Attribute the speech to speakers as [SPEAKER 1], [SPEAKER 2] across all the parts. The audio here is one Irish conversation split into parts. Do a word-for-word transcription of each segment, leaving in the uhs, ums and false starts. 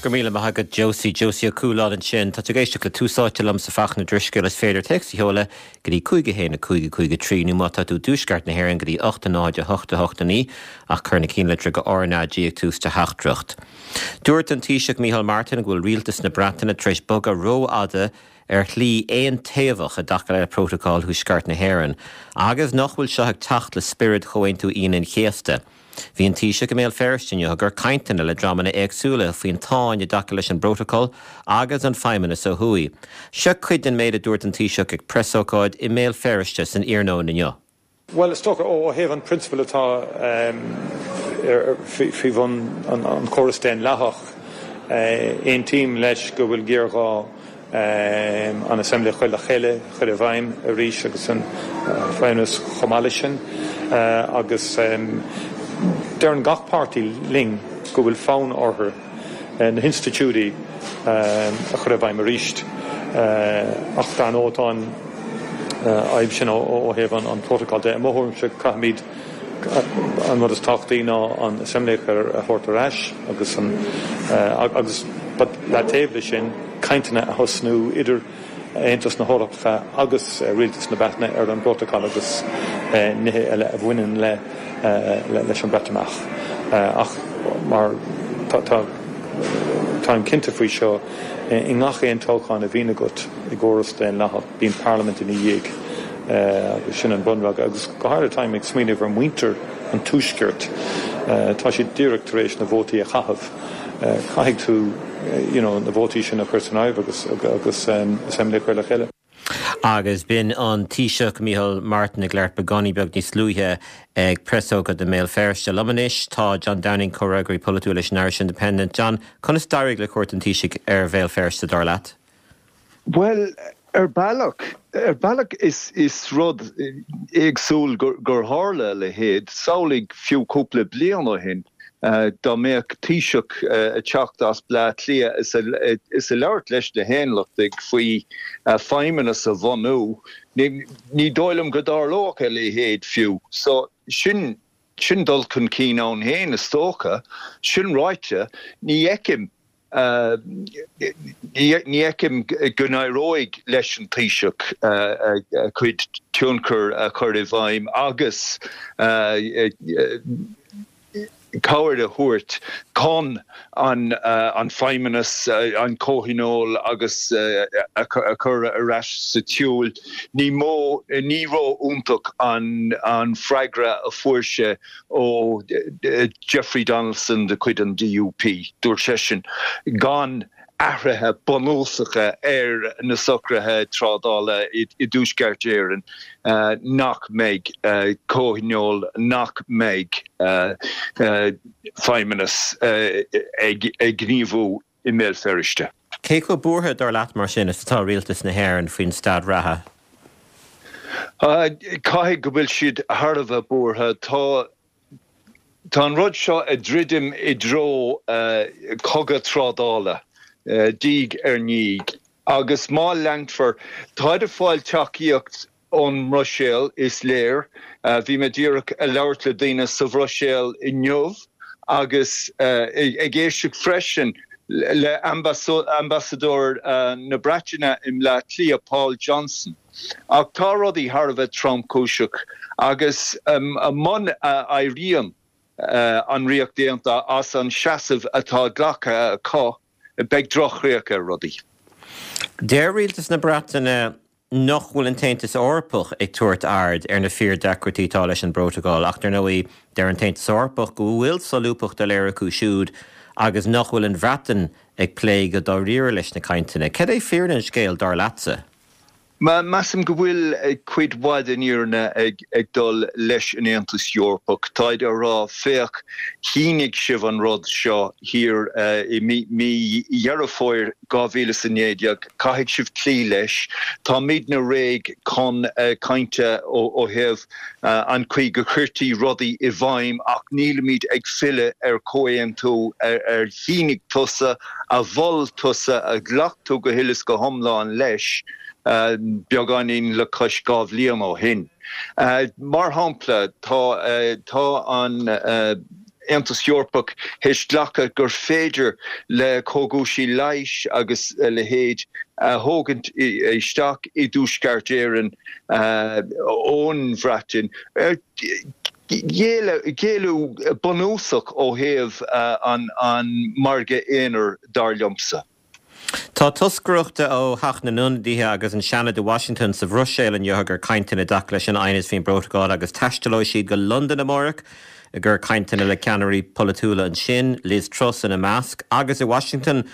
[SPEAKER 1] Go míle maith agat Josie Josie Ó Cualáin ansin Tá ag éisteacht le Tús Áite liomsa Fachtna Drisceoil is féidir téacs a sheoladh go dtí cúig a haon a cúig a cúig a trí nó má tá tú i dtuaisceart na hÉireann go dtí ocht a náid a hocht a hocht a naoi ach cuir na cinnlitreacha RnaG ag tús do theachtaireacht. Dúirt an Taoiseach Micheál Martin go bhfuil rialtas na Breataine tar éis bogadh rófhada ar shlí aontaobhach i dtaca le Prótacal Thuaisceart na hÉireann, agus nach bhfuil seo ag teacht le spiorad Chomhaontú Aoine an Chéasta. Bhí an Taoiseach i mBéal Feirste inniu ag cur cainteanna le dreamanna éagsúla faoin tsáinn i dtaca leis an bprótacal agus an feidhmeannas ó thuaidh. Seo cuid den méid a dúirt an Taoiseach ag preasócáid i mBéal Feirste san iarnóin inniu.
[SPEAKER 2] Well is dócha ó thaobh an prionsabal atá faoi bhun an chóras daonlathach aontaím leis go bhfuil géarghá an Assembly a chur le chéile chur i bhfeidhm arís agus an feidhmeannas chomh maith leis sin agus deireann gach páirtí linn go bhfuil fonn orthu na hinstitiúidí a chur i bhfeidhm arís ach dar ndóigh tá an fhadhb sin ó thaobh an prótacal de. I mo thuairimse caithfimid an rud is tábhachtaí ná an Assembly a thabhairt ar ais agus an agus le taobh leis sin cainteanna a thosnú idir Aontas na hEorpa agus rialtas na Breataine ar an bprótacal agus nithe eile a bhaineann le leis an Breatimeacht. Ach mar táim cinnte faoi seo i ngach aon toghchán a bhíonn agat i gcóras daonlathach bíonn parlaimint ina dhiaidh agus sin an bunrud agus go háirithe táim ag smaoineamh ar mhuintir an tuaiscirt tá siad díreach tar éis na vótaí a chaitheamh caithfidh tú you know, na vótaí sin a chur san áireamh agus agus um, assembly a chur le chéile.
[SPEAKER 1] Agus b'in an Taoiseach Micheál Martin ag labhairt beagáinín beag níos luaithe ag preasócáid i mBéal Feirste. Liom anois tá John Downing comhfhreagraí polaitiúil leis an Irish Independent. John, conas d'éirigh le cuairt an Taoisigh ar Bhéal Feirste dar leat?
[SPEAKER 3] Well, ar bealach ar bealach is is rud éagsúil gur, gur tharla a leithéid, samhlaigh fiú cúpla bliain ó shin. Uh, dá mbeadh Taoiseach uh, ag teacht as Bleá Cliath is a, is ag labhairt leis na haontachtaithe faoi uh, feidhmeannas a bhunú, ní, ní dóigh liom go dtarlódh a leithéid fiú. So sin sin dul chun cinn ann féin is dócha, sin ráite ní fheicim Uh, ní fheicim go n-éireoidh leis an Taoiseach uh, uh, cuid tionchar a chur i bhfeidhm agus uh, uh, cabhair a thabhairt chun an uh, an feidhmeannas uh, an comhthionól agus uh, a, a chur ar ais sa tsiúl. Ní mó ní ró-iontach an an freagra a fuair sé ó Jeffrey Donaldson de chuid an DUP dúirt seisean gan athruithe bunúsacha ar na socruithe trádála i, i dTuaisceart Éireann uh, nach mbeidh uh, comhthionól nach mbeidh uh, uh, feidhmeannas uh, ag, ag gníomhú i mBéal Feirste.
[SPEAKER 1] Cé chomh buartha dar leat mar sin is atá rialtas na hÉireann faoin staid reatha?
[SPEAKER 3] Uh, Caithfidh go bhfuil siad thar a bheith buartha tá Tá an rud seo ag druidim i dtreo uh, cogadh trádála. Uh, diaidh ar ndiaidh. Agus má leanfar tá ag fáil tacaíocht ón mBruiséil is léir, uh, bhí mé díreach ag labhairt le daoine sa Bhruiséil inniu agus uh, ag éisteacht freisin le ambasadóir uh, na Breataine i mBleá Cliath Paul Johnson. Ach tá rudaí thar a bheith tromchúiseach agus um, muna n-éiríonn uh, an Ríocht Aontaithe as an seasamh atá glactha acu beidh drochchríoch ar rudaí.
[SPEAKER 1] Deir rialtas na Breataine nach bhfuil an tAontas Eorpach ag tabhairt aird ar na fíordheacrachtaí atá leis an bprótacal ach ar ndóigh deir an tAontas Eorpach go bhfuil solúbthacht á léiriú acu siúd agus nach bhfuil an Bhreatain ag plé go dáiríre leis na cainteanna. Cad é fírinne an scéil dar leatsa?
[SPEAKER 3] Ma measaim go bhfuil cuid mhaith den fhírinne ag ag dul leis an Aontas Eorpach Táid á rá féach shínigh sibh an rud seo thiar uh, i mí Dheireadh Fómhair dhá mhíle is a naoi déag caithfidh sibh cloí leis Táimidne réidh chun uh, cainte ó thaobh uh, an chaoi go gcuirtí rudaí i bhfeidhm ach nílimid ag filleadh ar chomhaontú ar, ar shínigh tusa a mhol tusa a ghlac tú go huile is go hiomlán leis. Uh, beagáinín le cois dhá bhliain ó shin. Uh, mar shampla tá uh, tá an uh, Aontas Eorpach théis glacadh gur féidir le cógaisí leighis agus a leithéid a thógaint isteach i dTuaisceart Éireann ón Bhreatain. Géilleadh bunúsach ó thaobh an margadh aonair dar liomsa.
[SPEAKER 1] Tá toscaireacht ó Theach na nIonadaithe agus an Seanad i Washington sa Bhruiséil inniu ag cur cainteanna i dtaca leis an aighneas faoin bprótacal agus taistealóidh siad go Londain amárach ag cur cainteanna le ceannairí polaitiúla ansin, Liz Truss ina measc, agus i Washington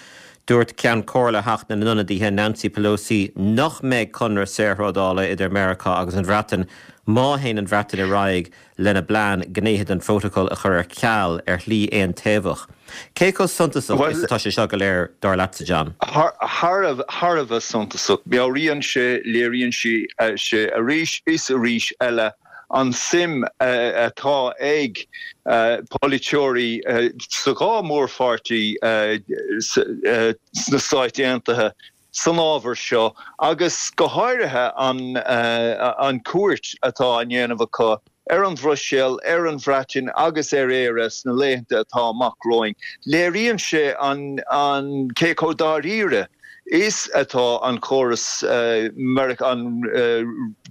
[SPEAKER 1] dúirt Ceann Comhairle Theach na nIonadaithe Nancy Pelosi nach mbeidh conradh saorthrádála idir Meiriceá agus an Bhreatain má théann an Bhreatain ar aghaidh lena bplean gnéithe den phrótacal a chur ar ceal ar shlí aontaobhach. Cé chomh suntasach is atá sé seo go léir dar leatsa, John?
[SPEAKER 3] Thar a bheith suntasach. Meabhraíonn sé, léiríonn sé arís is arís eile an suim atá ag polaiteoirí sa dhá mhórpháirtí sna Stáit Aontaithe san ábhar seo agus go háirithe an an cuairt atá á ndéanamh acu ar an Bhruiséil, ar an Bhreatain agus ar Éire sna laethanta atá amach romhainn. Léiríonn sé an an cé chomh dáiríre is atá an córas an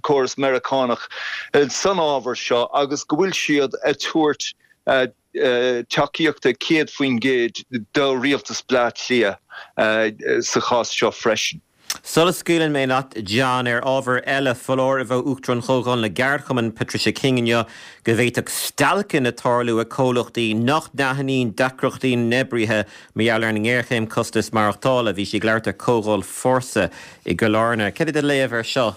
[SPEAKER 3] córas Meiriceánach san ábhar seo agus go bhfuil siad ag tabhairt tacaíochta céad faoin gcéad do rialtas Bleá Cliath sa chás seo freisin.
[SPEAKER 1] Sula scaoileann mé leat, John, ar ábhar eile, foláireamh ó Uachtarán Chomhdháil na gCeardchumann, Patricia King inniu go bhféadfadh stailceanna tarlú ag comhlachtaí nach n-aithníonn deacrachtaí na n-oibrithe mar gheall ar an ngéarchéim costas maireachtála. Bhí sí ag labhairt ar Comhdháil Fórsa i gCill Airne. Cad é do léamh air seo?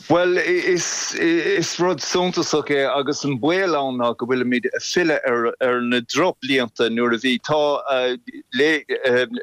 [SPEAKER 3] Bhuel, is is rud suntasach é agus an baol ann ná go bhfuilimid ag filleadh ar ar na drochbhlianta nuair a bhí tá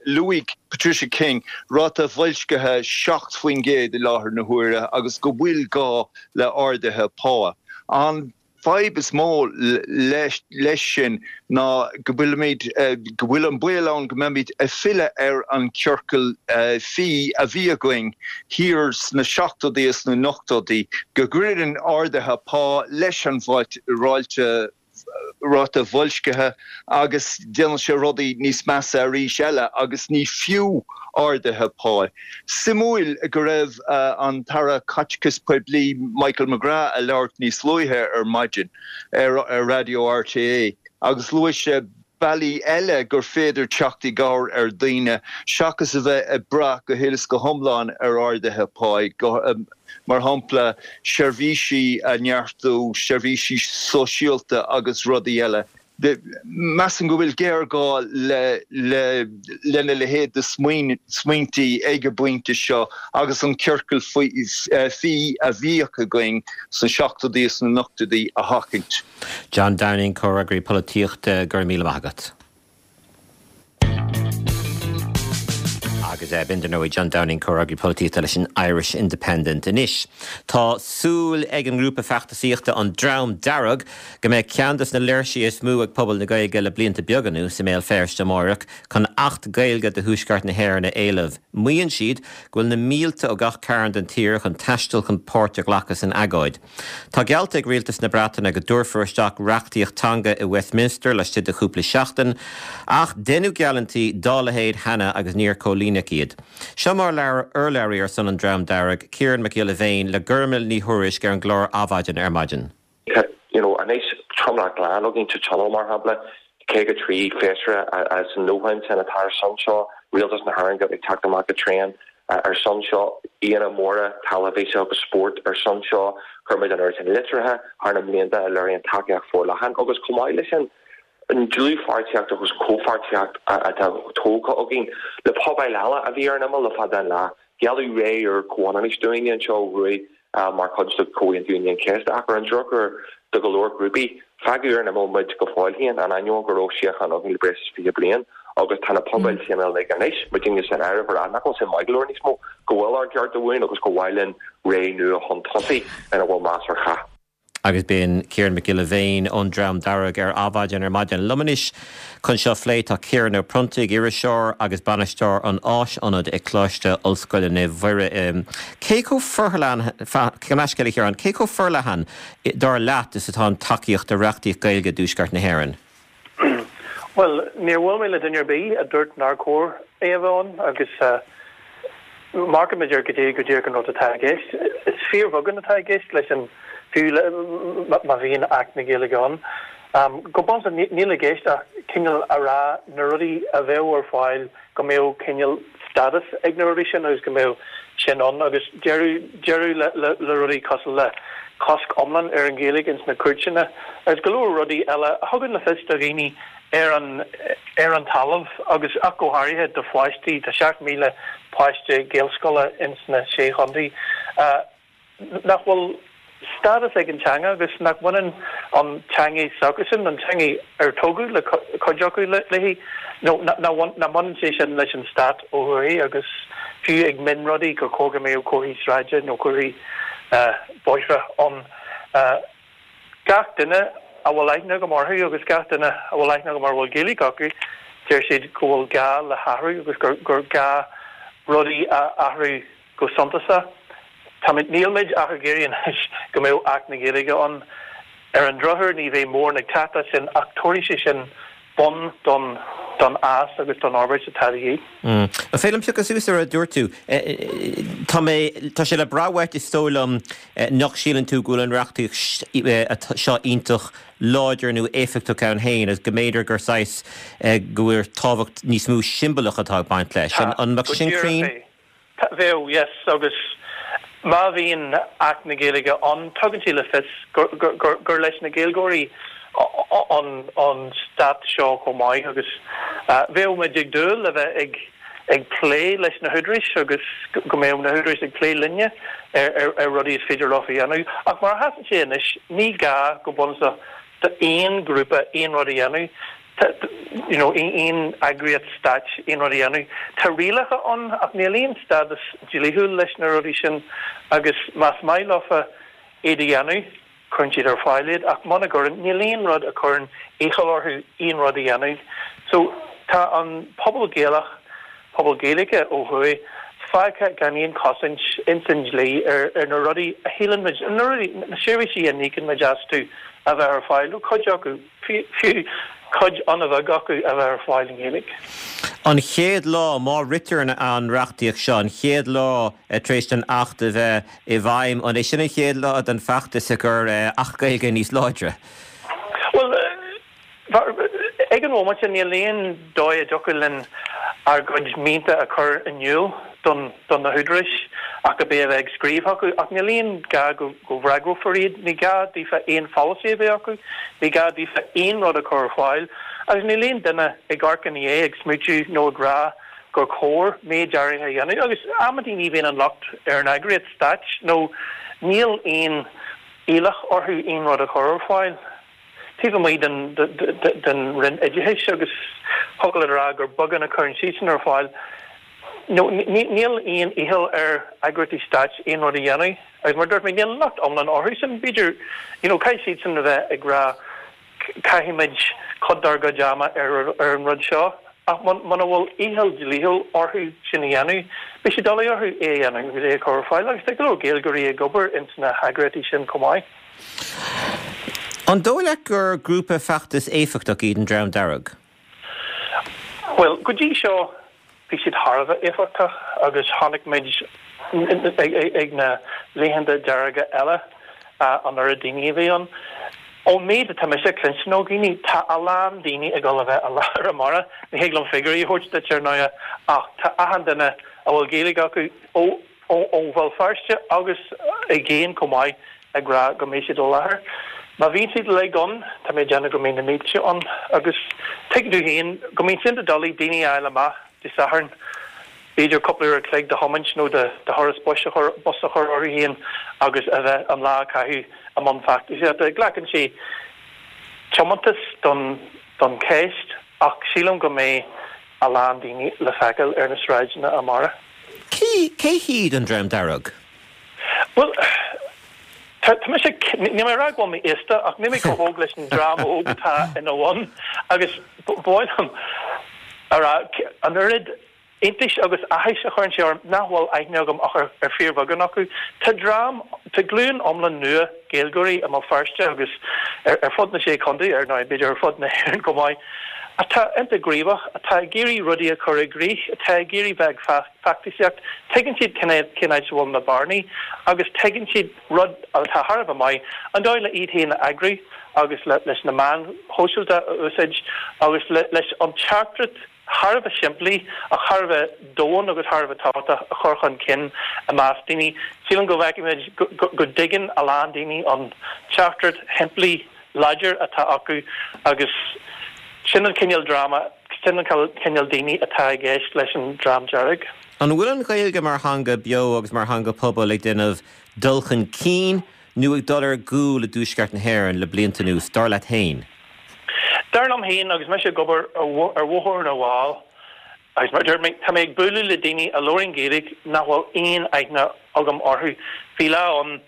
[SPEAKER 3] luaigh Patricia King ráta boilscithe seacht faoin gcéad i láthair na huaire agus go bhfuil gá le arduithe pá. An fadhb is mó leis sin ná go bhfuilimid, go bhfuil an baol ann go mbeimid ag filleadh ar an ciorcal fí a bhí againn thiar sna seachtóidí is sna n-ochtóidí, go gcuireann arduithe pá leis an ráta ráta boilscithe agus déanann sé rudaí níos measa arís eile agus ní fiú arduithe pá. Suimiúil go raibh an tAire Caiteachais Poiblí Michael McGrath ag labhairt níos luaithe ar maidin ar Raidió RTÉ agus luaigh sé bealaí eile gur féidir teacht i gcabhair ar dhaoine seachas a bheith ag brath go huile is go hiomlán ar arduithe pá, mar shampla seirbhísí a neartú, seirbhísí sóisialta agus rudaí eile. Measaim go bhfuil géarghá lena leithéid de smaointí ag an bpointe seo agus an ciorcal fí a bhíodh againn sna seachtóidí is sna n-ochtóidí a sheachaint.
[SPEAKER 1] John Downing, Comhfhreagraí Polaitíochta, go raibh míle maith agat. Agus b'in dar ndóigh John Downing, Comhfhreagraí Polaitíochta leis an Irish Independent. Anois, tá súil ag an ngrúpa feachtasaíochta An Dream Dearg go mbeidh ceann de na léirsithe is mó ag pobal na Gaeilge le blianta beaga anuas i mBéal Feirste amárach chun Acht Gaeilge do Thuaisceart na hÉireann a éileamh. Maíonn siad go bhfuil na mílte ó gach cearn den tír chun taisteal chun páirt a ghlacadh san agóid. Tá geallta ag Rialtas na Breataine go dtabharfar isteach reachtaíocht teanga i Westminster laistigh de chúpla seachtain, ach deineadh geallúintí dá leithéid cheana agus níor comhlíonadh iad. Seo mar a labhair urlabhraí ar son an Dream Dearg, Ciarán Mac Giolla Bhéin, le Gormfhlaith Ní Thuairisg ar an gclár Adhmhaidin ar maidin.
[SPEAKER 4] Tá you know anois tromlach glan againn sa Tionól mar shampla, caoga trí feisire as an ndóthain sin atá ar son seo, Rialtas na hÉireann ag teacht amach go tréan ar son seo, aíonna móra teilifíse agus spóirt ar son seo, chuir muid an oiread sin litreacha thar na mblianta a léiríonn tacaíocht forleathan agus chomh maith leis sin, an dlúthpháirtíocht agus comhpháirtíocht atá tógtha againn le pobail eile a bhí ar an imeall le fada an lá. Gealladh ré úr comhionannais dúinne anseo ó thuaidh mar chuid de Chomhaontú Aoine an Chéasta ach ar an drochuair do go leor grúpaí, fágadh ar an imeall muid go fóill féin, in ainneoin go raibh síocháin againn le breis is fiche bliain agus tá na pobail céanna uilig anois, muidinne san áireamh, ag rá nach bhfuil sé maith go leor níos mó, go bhfuil ár gcearta uainn agus gur mhaith linn ré nua chun tosaigh ina bhfuil meas ar chách.
[SPEAKER 1] Agus b'in Ciarán Mac Giolla Bhéin ón Dream Dearg ar Adhmhaidin ar maidin. Liom anois chun seo a phlé tá Ciarán Ó Pronntaigh, iriseoir agus bainisteoir an Áisaonaid ag Coláiste Ollscoile Naomh Mhuire. Cé chomh forleathan, gabh mo leithscéal a Chiaráin, cé chomh forleathan dar leat is atá an tacaíocht do reachtaíocht Gaeilge i dTuaisceart na hÉireann?
[SPEAKER 5] Bhuel, níor bhuail mé le duine ar bith a dúirt nár chóir é a bheith ann agus amharcaimid ar goidé go díreach an rud atá i gceist. Is fíorbheagán atá i gceist leis an, fiú má bhíonn Acht na Gaeilge ann. Go bunúsach níl i gceist ach cineál a rá na rudaí a bheadh ar fáil go mbeadh cineál stádas ag na rudaí sin agus go mbeadh sin ann agus deireadh deireadh le le rudaí cosúil le cosc iomlán ar an Ghaeilge ins na cúirteanna agus go leor rudaí eile a thugann le fios do dhaoine ar an ar an talamh agus ach go háirithe do pháistí, tá seacht míle páiste Gaelscoile ins na Sé Chontae nach bhfuil stádas ag an teanga agus nach mbaineann an teanga s'acusan, an teanga ar tógadh le cuid acu léi, nó nach mbaineann sé sin leis an stát ó thuaidh agus fiú ag mionrudaí gur chóir go mbeadh comharthaí sráide nó comharthaí bóithre ann. Gach duine a bhfuil aithne agam orthu agus gach duine a bhfuil aithne agam ar a bhfuil Gaeilge acu, deir siad go bhfuil gá le hathrú agus gur gá rudaí a athrú go suntasach. Táimid, nílmid ach ag iarraidh anois go mbeadh Acht na Gaeilge ann. Ar an drochuair ní bheidh mórán ag teacht as sin ach tabharfaidh sé sin bun don don fhás agus don fhorbairt atá de dhíth.
[SPEAKER 1] An féidir liom piocadh suas ar a dúirt tú? Tá mé, tá sé le brath uait is dóigh liom nach síleann tú go bhfuil an reachtaíocht seo iontach láidir nó éifeachtach ann féin agus go mb'fhéidir gur saghas go bhfuil tábhacht níos mó siombalach atá ag baint leis.
[SPEAKER 5] Tá,
[SPEAKER 1] An mbeadh
[SPEAKER 5] go
[SPEAKER 1] sin
[SPEAKER 5] díreach
[SPEAKER 1] cruinn?
[SPEAKER 5] é. Bheadh, yes, agus má bhíonn Acht na Gaeilge ann, tugann sé le fios gur leis na Gaeilgeoirí an stát seo chomh maith agus bheadh muid ag dúil le bheith ag ag plé leis na húdaráis agus go mbeadh na húdaráis ag plé linne ar rudaí is féidir leo a dhéanamh. Ach mar a sheasann sé anois, ní gá go bunúsach d'aon ghrúpa aon rud a dhéanamh. you know, aon eagraíocht stáit aon rud a dhéanamh. Tá rialacha ann ach níl aon stádas dlíthiúil leis na rudaí sin agus más maith leofa iad a dhéanamh, cuireann siad ar fáil iad ach muna gcuireann, níl aon rud a chuireann iachall orthu aon rud a dhéanamh. So tá an pobal Gaelach, pobal Gaeilge ó thuaidh, fágtha gan aon chosaint ins an dlí ar ar na rudaí a shíleann muid, na rudaí, na seirbhísí a n-íocann muid astu a bheith ar fáil, nó cuid acu, fiú cuid an-bheag acu a bheith ar fáil i nGaeilge.
[SPEAKER 1] An chéad lá, má ritear an reachtaíocht seo, an chéad lá tar éis don Acht a bheith i bhfeidhm, an é sin an chéad lá den fheachtas i gcomhair Acht Gaeilge níos láidre?
[SPEAKER 5] Bhuel, ag an bhomaite níl aon dóigh a dtiocfadh linn ár gcuid mianta a chur in iúl don do na húdaráis ach ab é a bheith ag scríobh chucu, ach níl aon gá go go bhfreagrófar iad, ní gá daofa aon pholasaí a bheith acu, ní gá daofa aon rud a chur ar fáil, agus níl aon duine ag amharc ina dhiaidh ag smaoitiú nó ag rá gur chóir méid áirithe a dhéanamh, agus amantaí ní bhíonn an locht ar an eagraíocht stáit nó níl aon iallach orthu aon rud a chur ar fáil. Taobh amuigh den den Roinn Oideachais agus thiocfadh leat a rá gur beagán a chuireann siadsan ar fáil. Nó níl aon iachall ar eagraíochtaí stáit aon rud a dhéanamh agus mar a dúirt mé níl locht iomlán orthu sin. B'fhéidir you know caithfidh siadsan a bheith ag rá caithfimid cuid dár gcuid ama ar ar an rud seo ach muna bhfuil iachall dlíthiúil orthu sin a dhéanamh beidh sé doiligh orthu é a dhéanamh agus é a chur ar fáil agus tá go leor Gaeilgeoirí ag obair ins na heagraíochtaí sin chomh maith.
[SPEAKER 1] An dóigh leat gur grúpa feachtais éifeachtach iad an Dream Dearg?
[SPEAKER 5] Bhuel, go dtí seo bhí siad thar a bheith éifeachtach agus chonaic muid ag na laethanta dearga eile an oiread daoine a bhí ann. Ón méid atá mise ag cluinstin ó dhaoine, tá a lán daoine ag dul a bheith i láthair amárach. Ní thig liom figiúirí a thabhairt duit ar ndóigh ach tá achan duine a bhfuil Gaeilge acu ó ó Bhéal Feirste agus i gcéin chomh maith ag rá go mbeidh siad i láthair. Má bhíonn siad uilig ann, tá mé ag déanamh go mbeidh na mílte ann agus tuigeann tú féin go mbíonn sé iontach doiligh daoine a fháil amach Dé Sathairn, b'fhéidir cúpla uair a chloig de thiomáint nó de thuras bus a chur bus a chur orthu féin agus a bheith an lá a chaitheamh i mbun feachtasaíochta. Glacann sé tiomantas don don cheist ach sílim go mbeidh a lán daoine le feiceáil ar na sráideanna amárach.
[SPEAKER 1] Cé cé hiad an Dream Dearg?
[SPEAKER 5] Bhuel, tá tá mise, níl mé ag rá go bhfuil mé aosta ach níl mé chomh hóg leis an dream óg atá ina bhun agus ba mhaith liom a rá an oiread iontais agus áthais a chuireann sé orm nach bhfuil aithne agam ach ar ar fíorbheagán acu. Tá dream, tá glúin iomlán nua Gaeilgeoirí i mBéal Feirste agus ar ar fud na Sé Chontae, ar ndóigh b'fhéidir ar fud na hÉireann chomh maith, atá iontach gníomhach, atá ag iarraidh rudaí a chur i gcrích, atá ag iarraidh bheith ag feachtasaíocht. Tuigeann siad cén áit a bhfuil na bearnaí agus tuigeann siad rud atá thar a bheith maith, an dóigh le iad féin a eagrú agus leis na meáin shóisialta a úsáid agus leis an teachtaireacht thar a bheith simplí ach thar a bheith domhain agus thar a bheith tábhachtach a chur chun cinn i measc daoine. Sílim go bhfeicimid go dtuigeann a lán daoine an teachtaireacht shimplí láidir atá acu agus sin an cineál dreama, sin an cineál daoine atá i gceist leis an Dream Dearg.
[SPEAKER 1] An bhfuil an Ghaeilge mar theanga beo agus mar theanga pobail ag déanamh dul chun cinn nó ag dul ar gcúl i dTuaisceart na hÉireann le blianta anuas, dar leat féin?
[SPEAKER 5] Dar liom féin, agus mise ag obair ar Bhóthar na bhFál, agus mar a dúirt mé, tá mé ag bualadh le daoine a labhraíonn Gaeilge nach bhfuil aon aithne agam orthu. Bhí lá ann,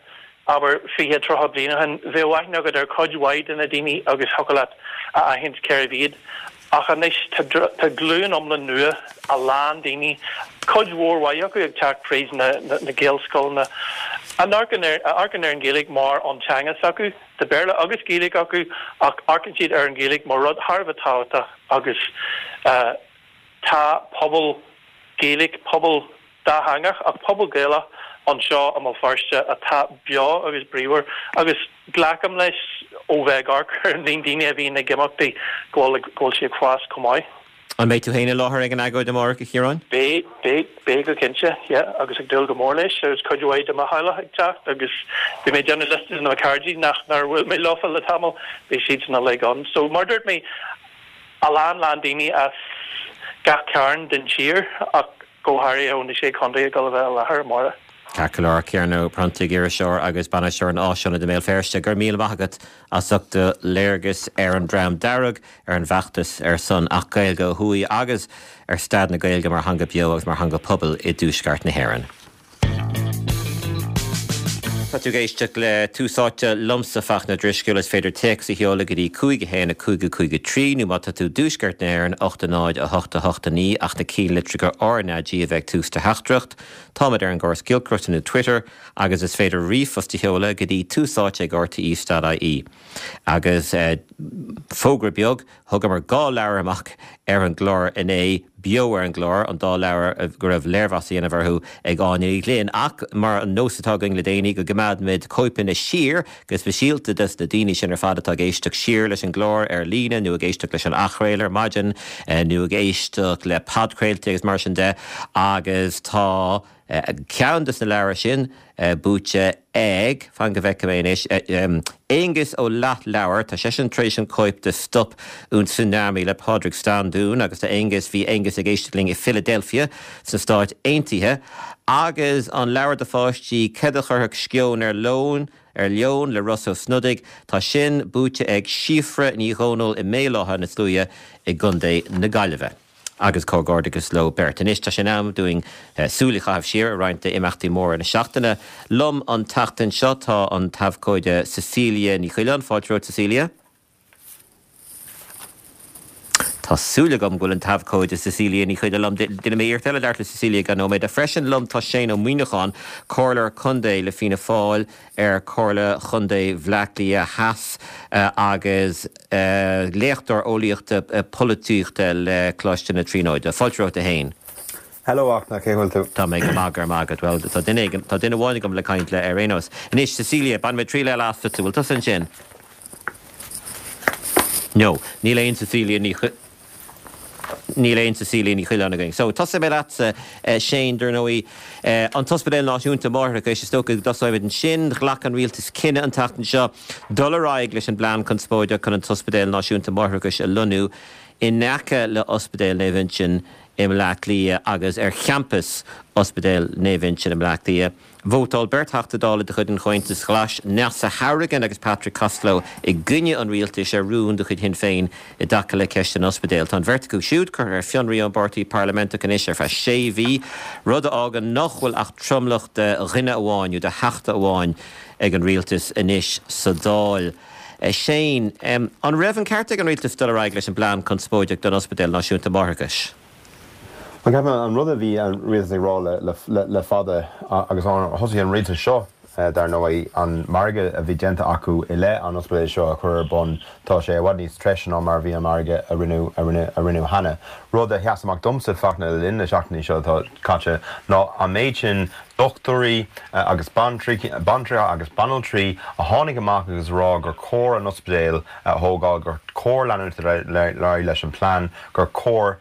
[SPEAKER 5] abair, fiche, tríocha bliain ó shin, bheadh aithne agat ar chuid mhaith de na daoine agus thiocfadh leat a aithint cérbh iad. Ach anois tá glúin iomlán nua, a lán daoine, cuid mhór mhaith acu ag teacht fríd na Gaelscoileanna, a amharcann ar an Ghaeilge mar an teanga s'acu. Tá Béarla agus Gaeilge acu ach amharcann siad ar an Ghaeilge mar rud thar a bheith tábhachtach agus tá pobal Gaelach, pobal dátheangach ach pobal Gaelach anseo i mBéal Feirste atá beo agus bríomhar agus glacaim leis ó bheith ag amharc ar an líon daoine a bhíonn ag imeachtaí go bhfuil go bhfuil sé ag fás chomh maith.
[SPEAKER 1] An mbeidh tú féin i láthair ag an agóid amárach, a Chiaráin?
[SPEAKER 5] Beidh, beidh, beidh go cinnte, yeah, agus ag dúil go mór leis agus cuid mhaith de mo theaghlach ag teacht agus bhí mé ag déanamh liosta de na cairde nach nár bhuail mé leofa le tamall, beidh siadsan uilig ann. So mar a dúirt mé, a lán lán daoine as gach cearn den tír ach go háirithe ó na Sé Chontae ag dul a bheith i láthair amárach.
[SPEAKER 1] Ceart go leor, Ciarán Ó Pronntaigh, iriseoir agus bainisteoir an Áisaonaid i mBéal Feirste, go raibh míle maith agat as ucht do léargas ar an Dream Dearg, ar an bhfeachtas ar son Acht Gaeilge ó thuaidh agus ar staid na Gaeilge mar theanga beo agus mar theanga pobail i dTuaisceart na hÉireann. Tá tú ag éisteacht le Tús Áite liomsa Fachtna Drisceoil. Is féidir téacs a sheoladh go dtí cúig a haon a cúig a cúig a trí nó má tá tú i dTuaisceart na hÉireann, ocht a náid a hocht a hocht a naoi ach na cinnlitreacha RnaG a bheith ag tús do theachtaireacht. Táimid ar an gcóras giolcaireachta nó Twitter agus is féidir ríomhphost a sheoladh go dtí túsáite ag rte dot ie. Agus fógra beag, thugamar dhá leabhar amach ar an gclár inné, beo ar an gclár, an dá leabhar go raibh léirmheas á dhéanamh orthu ag Áine Ní Ghlinn. Ach mar an nós atá againn le déanaí, go gcoimeádfaimid cóipeanna siar, go speisialta dos na daoine sin ar fad atá ag éisteacht siar leis an gclár ar líne nó ag éisteacht leis an athchraoladh ar maidin nó ag éisteacht le podchraoltaí agus mar sin de. Agus tá ceann dos na leabhair sin buaite ag, fan go bhfeicfidh mé anois, Aonghus Ó Leathleabhair, tá seisean tar éis an cóip de Stop un Tsunami le Pádraig Standún agus tá Aonghus, bhí Aonghus ag éisteacht linn i Philadelphia sna Stáit Aontaithe agus an leabhar do pháistí Céard a Chuirfeadh Sceon ar Leon, ar Leon le Ross Ó Snodaigh, tá sin buaite ag Síofra Ní Dhomhnaill i mBéal Átha na Sluaighe i gContae na Gaillimhe. Agus comhghairdeachas leo beirt. Anois tá sé in am dúinn súil a chaitheamh siar ar roinnt d'imeachtaí móra na seachtaine. Liom an tseachtain seo tá an t-abhcóide Cecilia Ní Choileáin. Fáilte romhat Cecilia. Tá súil agam go bhfuil an t-abhcóide Cecilia Ní Choileáin liom. Déanfaidh mé iarracht eile labhairt le Cecilia i gceann nóiméad. Freisin liom tá Shane Ó Muíneacháin, Comhairleoir Contae le Fianna Fáil ar Chomhairle Chontae Bhaile Átha Cliath Theas agus léachtóir eolaíochta polaitíochta le Coláiste na Tríonóide. Fáilte romhat a Shéain.
[SPEAKER 6] Hello Fhachtna, cén chaoi a bhfuil tú?
[SPEAKER 1] Tá mé go maith, go raibh maith agat. Bhuel, tá duine éigin, tá duine amháin agam le caint le ar aon nós. Anois, Cecilia, bainfidh mé triail eile asat, bhfuil tusa ansin? No, níl aon Cecilia Ní Níl aon Cecilia Ní Choileáin againn. So, tosóidh mé leatsa, Shane, dar ndóigh, an tOspidéal Náisiúnta Máithreachais, is dócha go dtosóimid ansin. Ghlac an rialtas cinneadh an tseachtain seo dul ar aghaidh leis an bplean conspóideach chun an tOspidéal Náisiúnta Máithreachais a lonnú in aice le Ospidéal Naomh Uinseann i mBleá Cliath agus ar champas Ospidéal Naomh Uinseann i mBleá Cliath. Vótáil beirt Theachta Dála de chuid an Chomhaontais Ghlais, Neasa Hourigan agus Patrick Costello, i gcoinne an rialtais ar rún de chuid Shinn Féin i dtaca le ceist an ospidéil. Tá an bheirt acu siúd curtha ar fionraí ón bpáirtí parlaiminteach anois ar feadh sé mhí, rud a fhágann nach bhfuil ach tromlach de dhuine amháin nó de theachta amháin ag an rialtas anois sa Dáil. Shane, an raibh an ceart ag an rialtas dul ar aghaidh leis an bplean conspóideach don Ospidéal Náisiúnta Máithreachais?
[SPEAKER 6] Bhuel, ceapaim an rud a bhí an rialtas ag rá le fada agus thosaigh an rialtas seo dar ndóigh, an margadh a bhí déanta acu i leith an ospidéil seo a chur ar bun, tá sé i bhfad níos treise ná mar a bhí an margadh a rinneadh a rinneadh a rinneadh cheana. Rud a sheas amach domsa, Fachtna, le linn na seachtainí seo atá caite ná an méid sin dochtúirí agus baintreacha agus banaltraí a tháinig amach agus a rá gur chóir an ospidéal a thógáil, gur chóir leanúint ar aghaidh leis an plean, gur chóir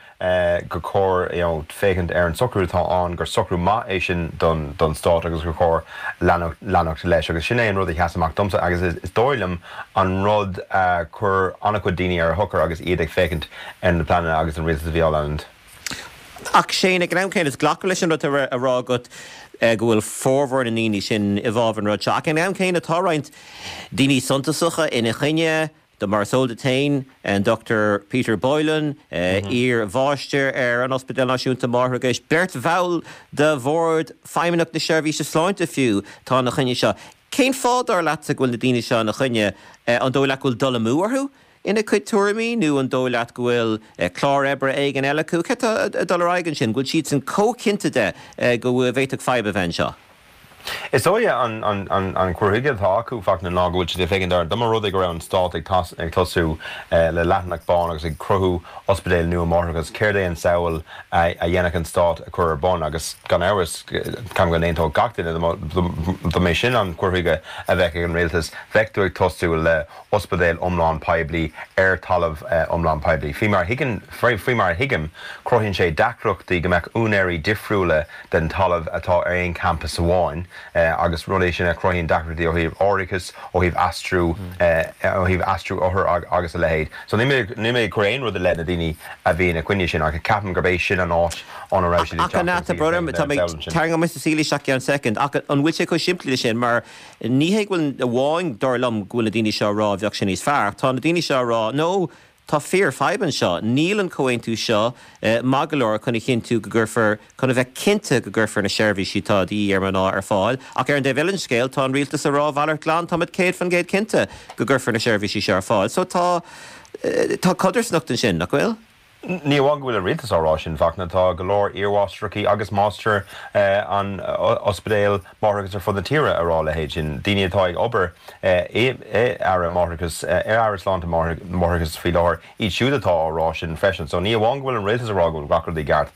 [SPEAKER 6] gur chóir you know féachaint ar an socrú atá ann, gur socrú maith é sin don don stát agus gur chóir leanacht leanacht leis. Agus sin é an rud a sheas amach domsa agus is dóigh liom an rud a chuir an-chuid daoine ar a shochar agus iad ag féachaint ar na pleananna agus an rialtas a bhí á leanúint.
[SPEAKER 1] Ach Shane, ag an am céanna, is glacaim leis an rud atá á rá agat go bhfuil formhór na ndaoine sin i bhfabhar an rud seo. Ach ag an am céanna tá roinnt daoine suntasacha ina choinne, do mar is eol duit féin, an Dochtúir Peter Boylan, iar-mháistir ar an Ospidéal Náisiúnta Máithreachais, beirt bhall de Bhord Feidhmeannach na Seirbhíse Sláinte fiú, tá ina choinne seo. Cén fáth, dar leatsa, go bhfuil na daoine seo ina choinne? An dóigh leat go bhfuil dul amú orthu ina gcuid tuairimí nó an dóigh leat go bhfuil clár oibre éigin eile acu? Céard atá ag dul ar aghaidh ansin? Go bhfuil siadsan chomh cinnte de go bhféadfadh fadhb a bheith anseo?
[SPEAKER 6] Is dóigh an cur chuige atá acu, Fachtna, ná go bhfuil siad ag féachaint ar dá mba rud é go raibh an stát ag tosú le leathanach bán agus ag cruthú ospidéal nua máithreachais, céard é an samhail a dhéanfadh an stát a chur ar bun? Agus gan amhras, ceapaim go n-aontódh gach duine dá mba é sin an cur chuige a bheadh ag an rialtas, bheadh tú ag tosú le ospidéal iomlán poiblí ar talamh iomlán poiblí. Faoi mar a thuigeann, faoi mar a thuigim, cruthaíonn sé deacrachtaí go mbeadh úinéirí difriúla den talamh atá ar aon champas amháin agus rud é sin a chruthaíonn deacrachtaí ó thaobh árachais, ó thaobh aistriú, ó thaobh aistriú othar agus a leithéid. So níl mé, níl mé ag cur aon rud i leith na daoine a bhí ina coinne sin ach ceapaim gurb é sin an áit óna raibh siad ag
[SPEAKER 1] teacht agus iad ag féachaint ar an samhail sin. Tarraingeoidh mé Cecilia isteach i gceann soicind ach an bhfuil sé chomh simplí le sin mar ní hé go bhfuil amháin dar liom go bhfuil na daoine seo ag rá bheadh sé níos fearr ach tá na daoine seo ag rá no tá fíor fadhb anseo níl an comhaontú seo maith go leor chun a chinntiú go gcuirfear chun a bheith cinnte go gcuirfear na seirbhísí atá de dhíth ar mná ar fáil ach ar an dtaobh eile den scéal tá an rialtas ag rá a mhalairt glan táimid céad faoin gcéad cinnte go gcuirfear na seirbhísí seo ar fáil so tá tá codarsnacht ansin nach bhfuil?
[SPEAKER 6] Ní amháin go bhfuil an rialtas á rá sin, Fachtna, tá go leor iarmháistreacha agus máistir an ospidéil máithreachais ar fud na tíre a rá a leithéid sin. Daoine atá ag obair i Aire Máithreachais, ar Aire Sláinte Máithreachais faoi láthair, iad siúd atá á rá sin freisin. So ní amháin go bhfuil an rialtas a rá go bhfuil gach rud i gceart,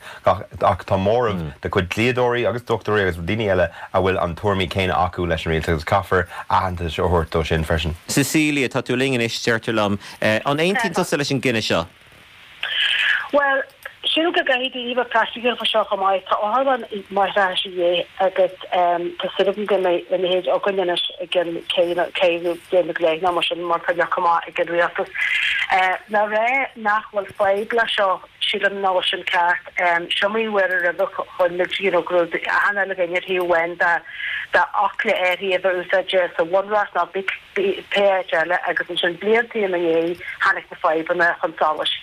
[SPEAKER 6] ach tá móramh de chuid dlíodóirí agus dochtúirí agus daoine eile a bhfuil an tuairimí céanna acu leis an rialtas agus caithfear aitheantas a thabhairt dó sin freisin.
[SPEAKER 1] Cecilia, tá tú linn anois, deirtear liom. An aontaíonn tusa leis an gcinneadh seo?
[SPEAKER 7] Bhuel, sílim go gcaithfidh daoine bheith praiticiúil faoi seo chomh maith. Tá otharlann máithreachais a dhíth agus tá súil agam go mbeidh a leithéid againn anois i gceann ceithre bliana go leith nó mar sin mar tá leagtha amach ag an rialtas. Le rá nach bhfuil fadhb leis seo, sílim nach bhfuil sin ceart. Seo mar uair roimhe chonaic muid you know go raibh achan uile dhuine ar thaobh amháin de d'fhocla áirithe a bheith úsáidte sa bhunreacht nó pé áit eile agus ansin blianta ina dhiaidh tháinig na fadhbanna chun solais.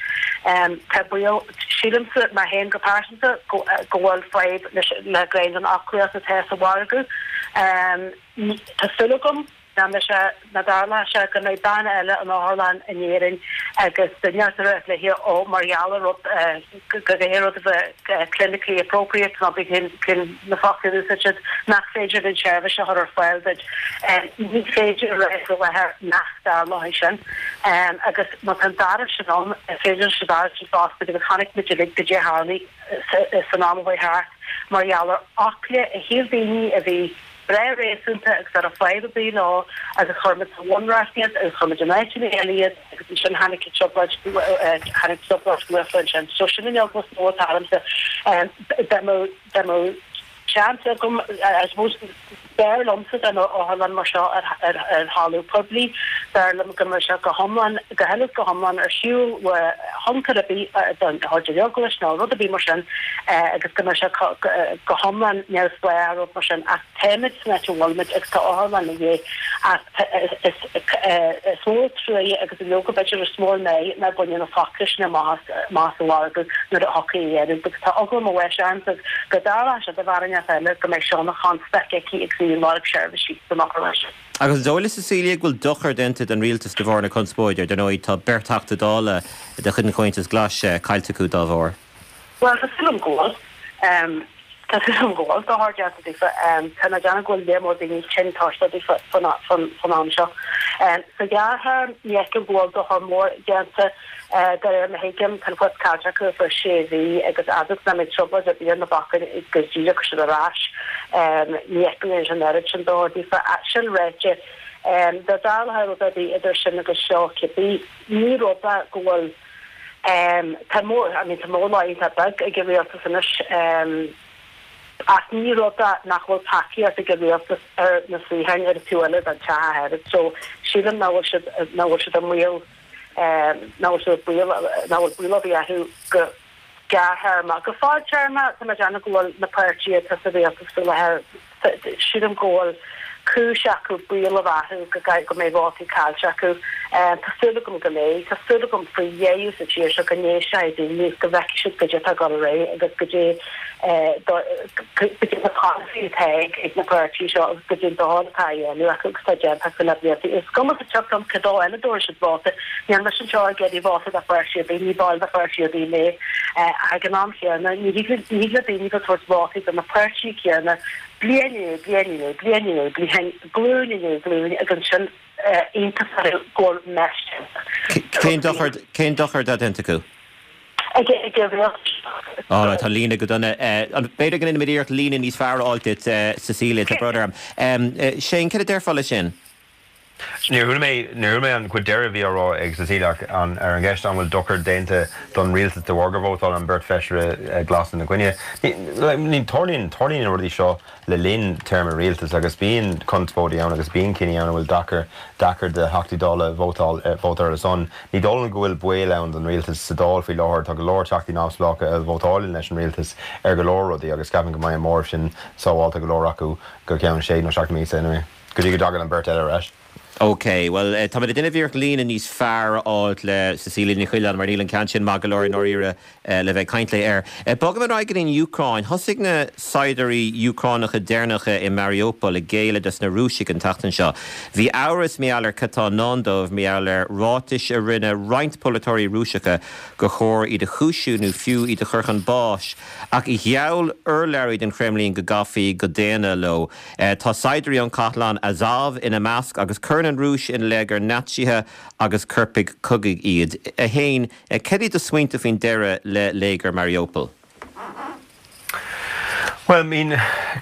[SPEAKER 7] Tá baol, sílimse mé féin go pearsanta, go bhfuil fadhb le gné den fhoclaíocht atá sa mhargadh. Tá súil agam nach mbeidh sé, nach dtarlóidh sé go mbeidh bean eile in otharlann in Éirinn agus duine inteacht ag rá léi ó mar gheall ar rud, go gcaithfidh rud a bheith clinically appropriate nó cén na focla a úsáid siad, nach féidir an tseirbhís a chur ar fáil duit. Ní féidir a rá faoi láthair nach dtarlóidh sin. Agus má tá an dealramh sin ann, is féidir leis an dealramh sin fosta agus chonaic muid uilig goidé a tharlaigh san am a chuaigh thart mar gheall ar fhocla a shíl daoine a bhí breá réasúnta agus nach raibh fadhb ar bith leo agus chuir muid sa bhunreacht iad agus chuir muid in áiteanna eile iad agus ansin tháinig an trioblóid tháinig trioblóid dhlíthiúil ansin. So sin an eagla is mó atá ormsa. Dá mbeadh dá mbeadh seans agam I suppose b'fhearr liomsa dá mbeadh otharlann mar seo ar ar ar thalamh poiblí, b'fhearr liom go mbeadh sé go hiomlán go huile is go hiomlán ar shiúl ó thionchar ar bith den chuid den eaglais nó rud ar bith mar sin agus go mbeadh sé go hiomlán neamhspleách ar rud mar sin ach táimid san áit a bhfuilimid agus tá otharlann a dhíth ach is mó an truaighe agus leoga b'fhéidir is mó an náire nár baineadh na focla sin amach as an mhargadh nuair a thiocfaidh a dheireadh agus tá eagla mo bháis ormsa go dtarlóidh sé do bhean inteacht eile go mbeidh seo ina chonstaic aici agus í ag lorg seirbhísí san otharlann sin.
[SPEAKER 1] Agus an dóigh leat Cecilia go bhfuil dochar déanta don rialtas de bharr na conspóide? Dar ndóigh tá beirt Theachta Dála de chuid an Chomhaontais Ghlais caillte acu dá bharr.
[SPEAKER 7] Bhuel, tá súil agam go bhfuil. Tá súil agam go bhfuil dochar déanta daofa. Tá mé ag déanamh go bhfuil lear mór daoine tinn tuirseach daofa faoin am seo. Sa ghearrthéarma, ní fheicim go bhfuil dochar mór déanta. De réir mar a thuigim, tá an post caillte acu ar feadh sé mhí agus fhad is nach mbeidh trioblóid ar bith ar na bacáin go díreach siad ar ais, ní fheicim go ndéanfaidh sé an oiread sin dochar daofa. Sin ráite, dá dtarlódh rud ar bith idir sin agus seo cibé, ní rud é go bhfuil Tá mó, I mean tá mórlá iontach beag ag an rialtas anois ach ní rud é nach bhfuil tacaíocht ag an rialtas ar na suíocháin ar an taobh eile den teach ach oiread so sílim nach bhfuil siad, nach bhfuil siad i mbaol, nach bhfuil siad i baol, nach bhfuil baol ar bith orthu go gearrthéarma. Go fadtéarma tá mé ag déanamh go bhfuil na páirtithe atá sa rialtas faoi láthair, sílim go bhfuil cúis acu baol a bheith orthu go mbeidh vótaí caillte acu. Tá súil agam go mbeidh. Tá súil agam faoi dheireadh sa tír seo go n-éistfidh daoine agus go bhfeicfidh siad goidé atá ag dul ar aghaidh agus goidé goidé na polasaithe atá ag na páirtithe seo agus goidé an dochar atá á dhéanamh acu agus atá déanta acu le blianta. Is cuma sa tsioc dom cé dó eile a dtabharfaidh siad vóta. Níl mise anseo ag iarraidh vóta do pháirtí ar bith, ní ball de pháirtí ar bith mé. Ach ag an am chéanna, ní thig le daoine bheith ag tabhairt vótaí do na páirtithe céanna bliain i ndiaidh bliain i ndiaidh bliain i ndiaidh bliain, glúin i ndiaidh glúin agus ansin iontas orthu go bhfuil mess déanta.
[SPEAKER 1] Cén dochar, cén dochar atá déanta acu?
[SPEAKER 7] Ag ag an rialtas.
[SPEAKER 1] All right, tá líne go dona. B'fhéidir go ndéanfaimid iarracht líne níos fearr a fháil duit, Cecilia, tá brón orm. Shane, cad a déarfá leis sin?
[SPEAKER 6] Níor chuala mé, níor chuala mé an chuid deiridh a bhí á rá ag Cecilia ach an, ar an gceist an bhfuil dochar déanta don rialtas de bharr gur vótáil an bheirt feisire glas ina gcoinne. Ní, ní, tarlaíonn, tarlaíonn na rudaí seo le linn téarma rialtais agus bíonn conspóidí ann agus bíonn cinní ann a bhfuil deacair, deacair do Theachtaí Dála vótáil, vótáil ar a son. Ní dóigh liom go bhfuil baol ann don rialtas sa Dáil faoi láthair. Tá go leor Teachtaí neamhspleácha a vótálann leis an rialtas ar go leor rudaí agus ceapaim go mbeidh an móramh sin sábháilte go leor acu go ceann sé nó seacht míosa anyway. Go dtí go dtagann an bheirt eile ar ais.
[SPEAKER 1] Ok, bhuel, tá muid ag déanamh iarracht líne níos fearr a fháilt le Cecilia Ní Choileáin mar níl an ceann sin maith go leor i ndáiríre le bheith ag caint léi air. Bogaim ar aghaidh go dtí an Úcráin. Thosaigh na saighdiúirí Úcránacha deireanacha i Mariupol ag géilleadh dos na Rúisigh an tseachtain seo. Bhí amhras mar gheall ar cad tá i ndán dóibh mar gheall ar ráitis a rinne roinnt polaiteoirí Rúiseacha gur chóir iad a chúisiú nó fiú iad a chur chun báis. Ach gheall urlabhraí don Chreimlín go gcaithfí go daonna leo. Tá saighdiúirí ón chathlán Azov ina measc agus cuireann an Rúis ina leith gur Naitsithe agus coirpigh cogaidh iad. A Shéain, cad iad do smaointe faoin deireadh le léigear Mariupol?
[SPEAKER 6] Bhuel, I mean,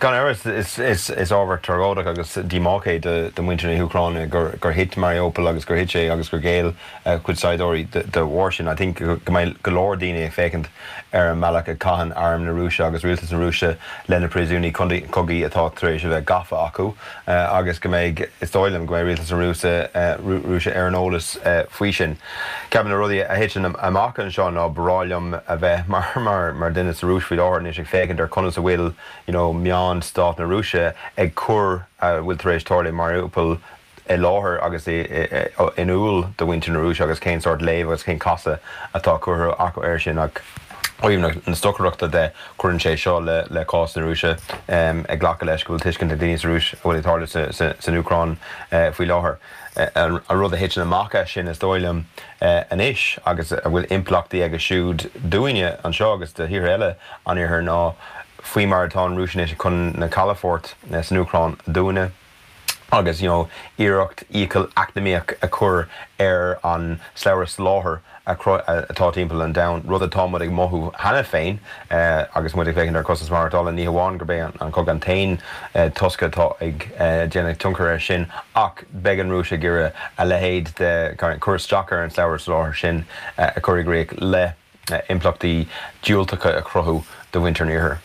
[SPEAKER 6] gan amhras is is ábhar tragóideach agus díomách é do mhuintir na hÚcráine gur gur thit Mariupol agus gur thit sé agus gur ghéill cuid saighdiúirí de bharr sin. I think go mbeidh go leor daoine ag féachaint ar an mbealach a caitheann arm na Rúise agus rialtas na Rúise le na príosúnaigh cogaidh atá tar éis a bheith gafa acu agus go mbeidh, is dóigh liom, go mbeidh rialtas na Rúise ar an eolas faoi sin. Ceapaim na rudaí a thiteann amach anseo ná ba bhreá liom a bheith mar duine sa Rúis faoi láthair anois ag féachaint ar conas a bhfuil you know meáin stát na Rúise ag cur a bhfuil tar éis tarlú i Mariupol i láthair agus in iúl do mhuintir na Rúise agus cén sórt léamh agus cén casadh atá curtha acu air sin. Ach ó thaobh na stocaireachta de, cuireann sé seo le cás na Rúise, ag glacadh leis go bhfuil tuiscint ag daoine sa Rúis a bhfuil ag tarlú san Úcráin faoi láthair. An rud a thiteann amach as sin, is dóigh liom, anois agus a bhfuil impleachtaí aige siúd dúinne anseo agus do thíortha eile an Iarthair ná faoi mar atá an Rúis anois chun na calafoirt san Úcráin a dhúnadh, agus you know iarracht iachall eacnamaíoch a chur ar an slabhra soláthair atá timpeall an domhain, rud atá muid ag mothú cheana féin agus muid ag féachaint ar chostas maireachtála. Ní hamháin gurb é an cogadh an t-aon tosca atá ag déanamh tionchar air sin ach beidh an Rúis ag iarraidh a leithéid de cur isteach ar an slabhra soláthair sin a chur i gcrích le impleachtaí diúltacha a chruthú do mhuintir an Iarthair.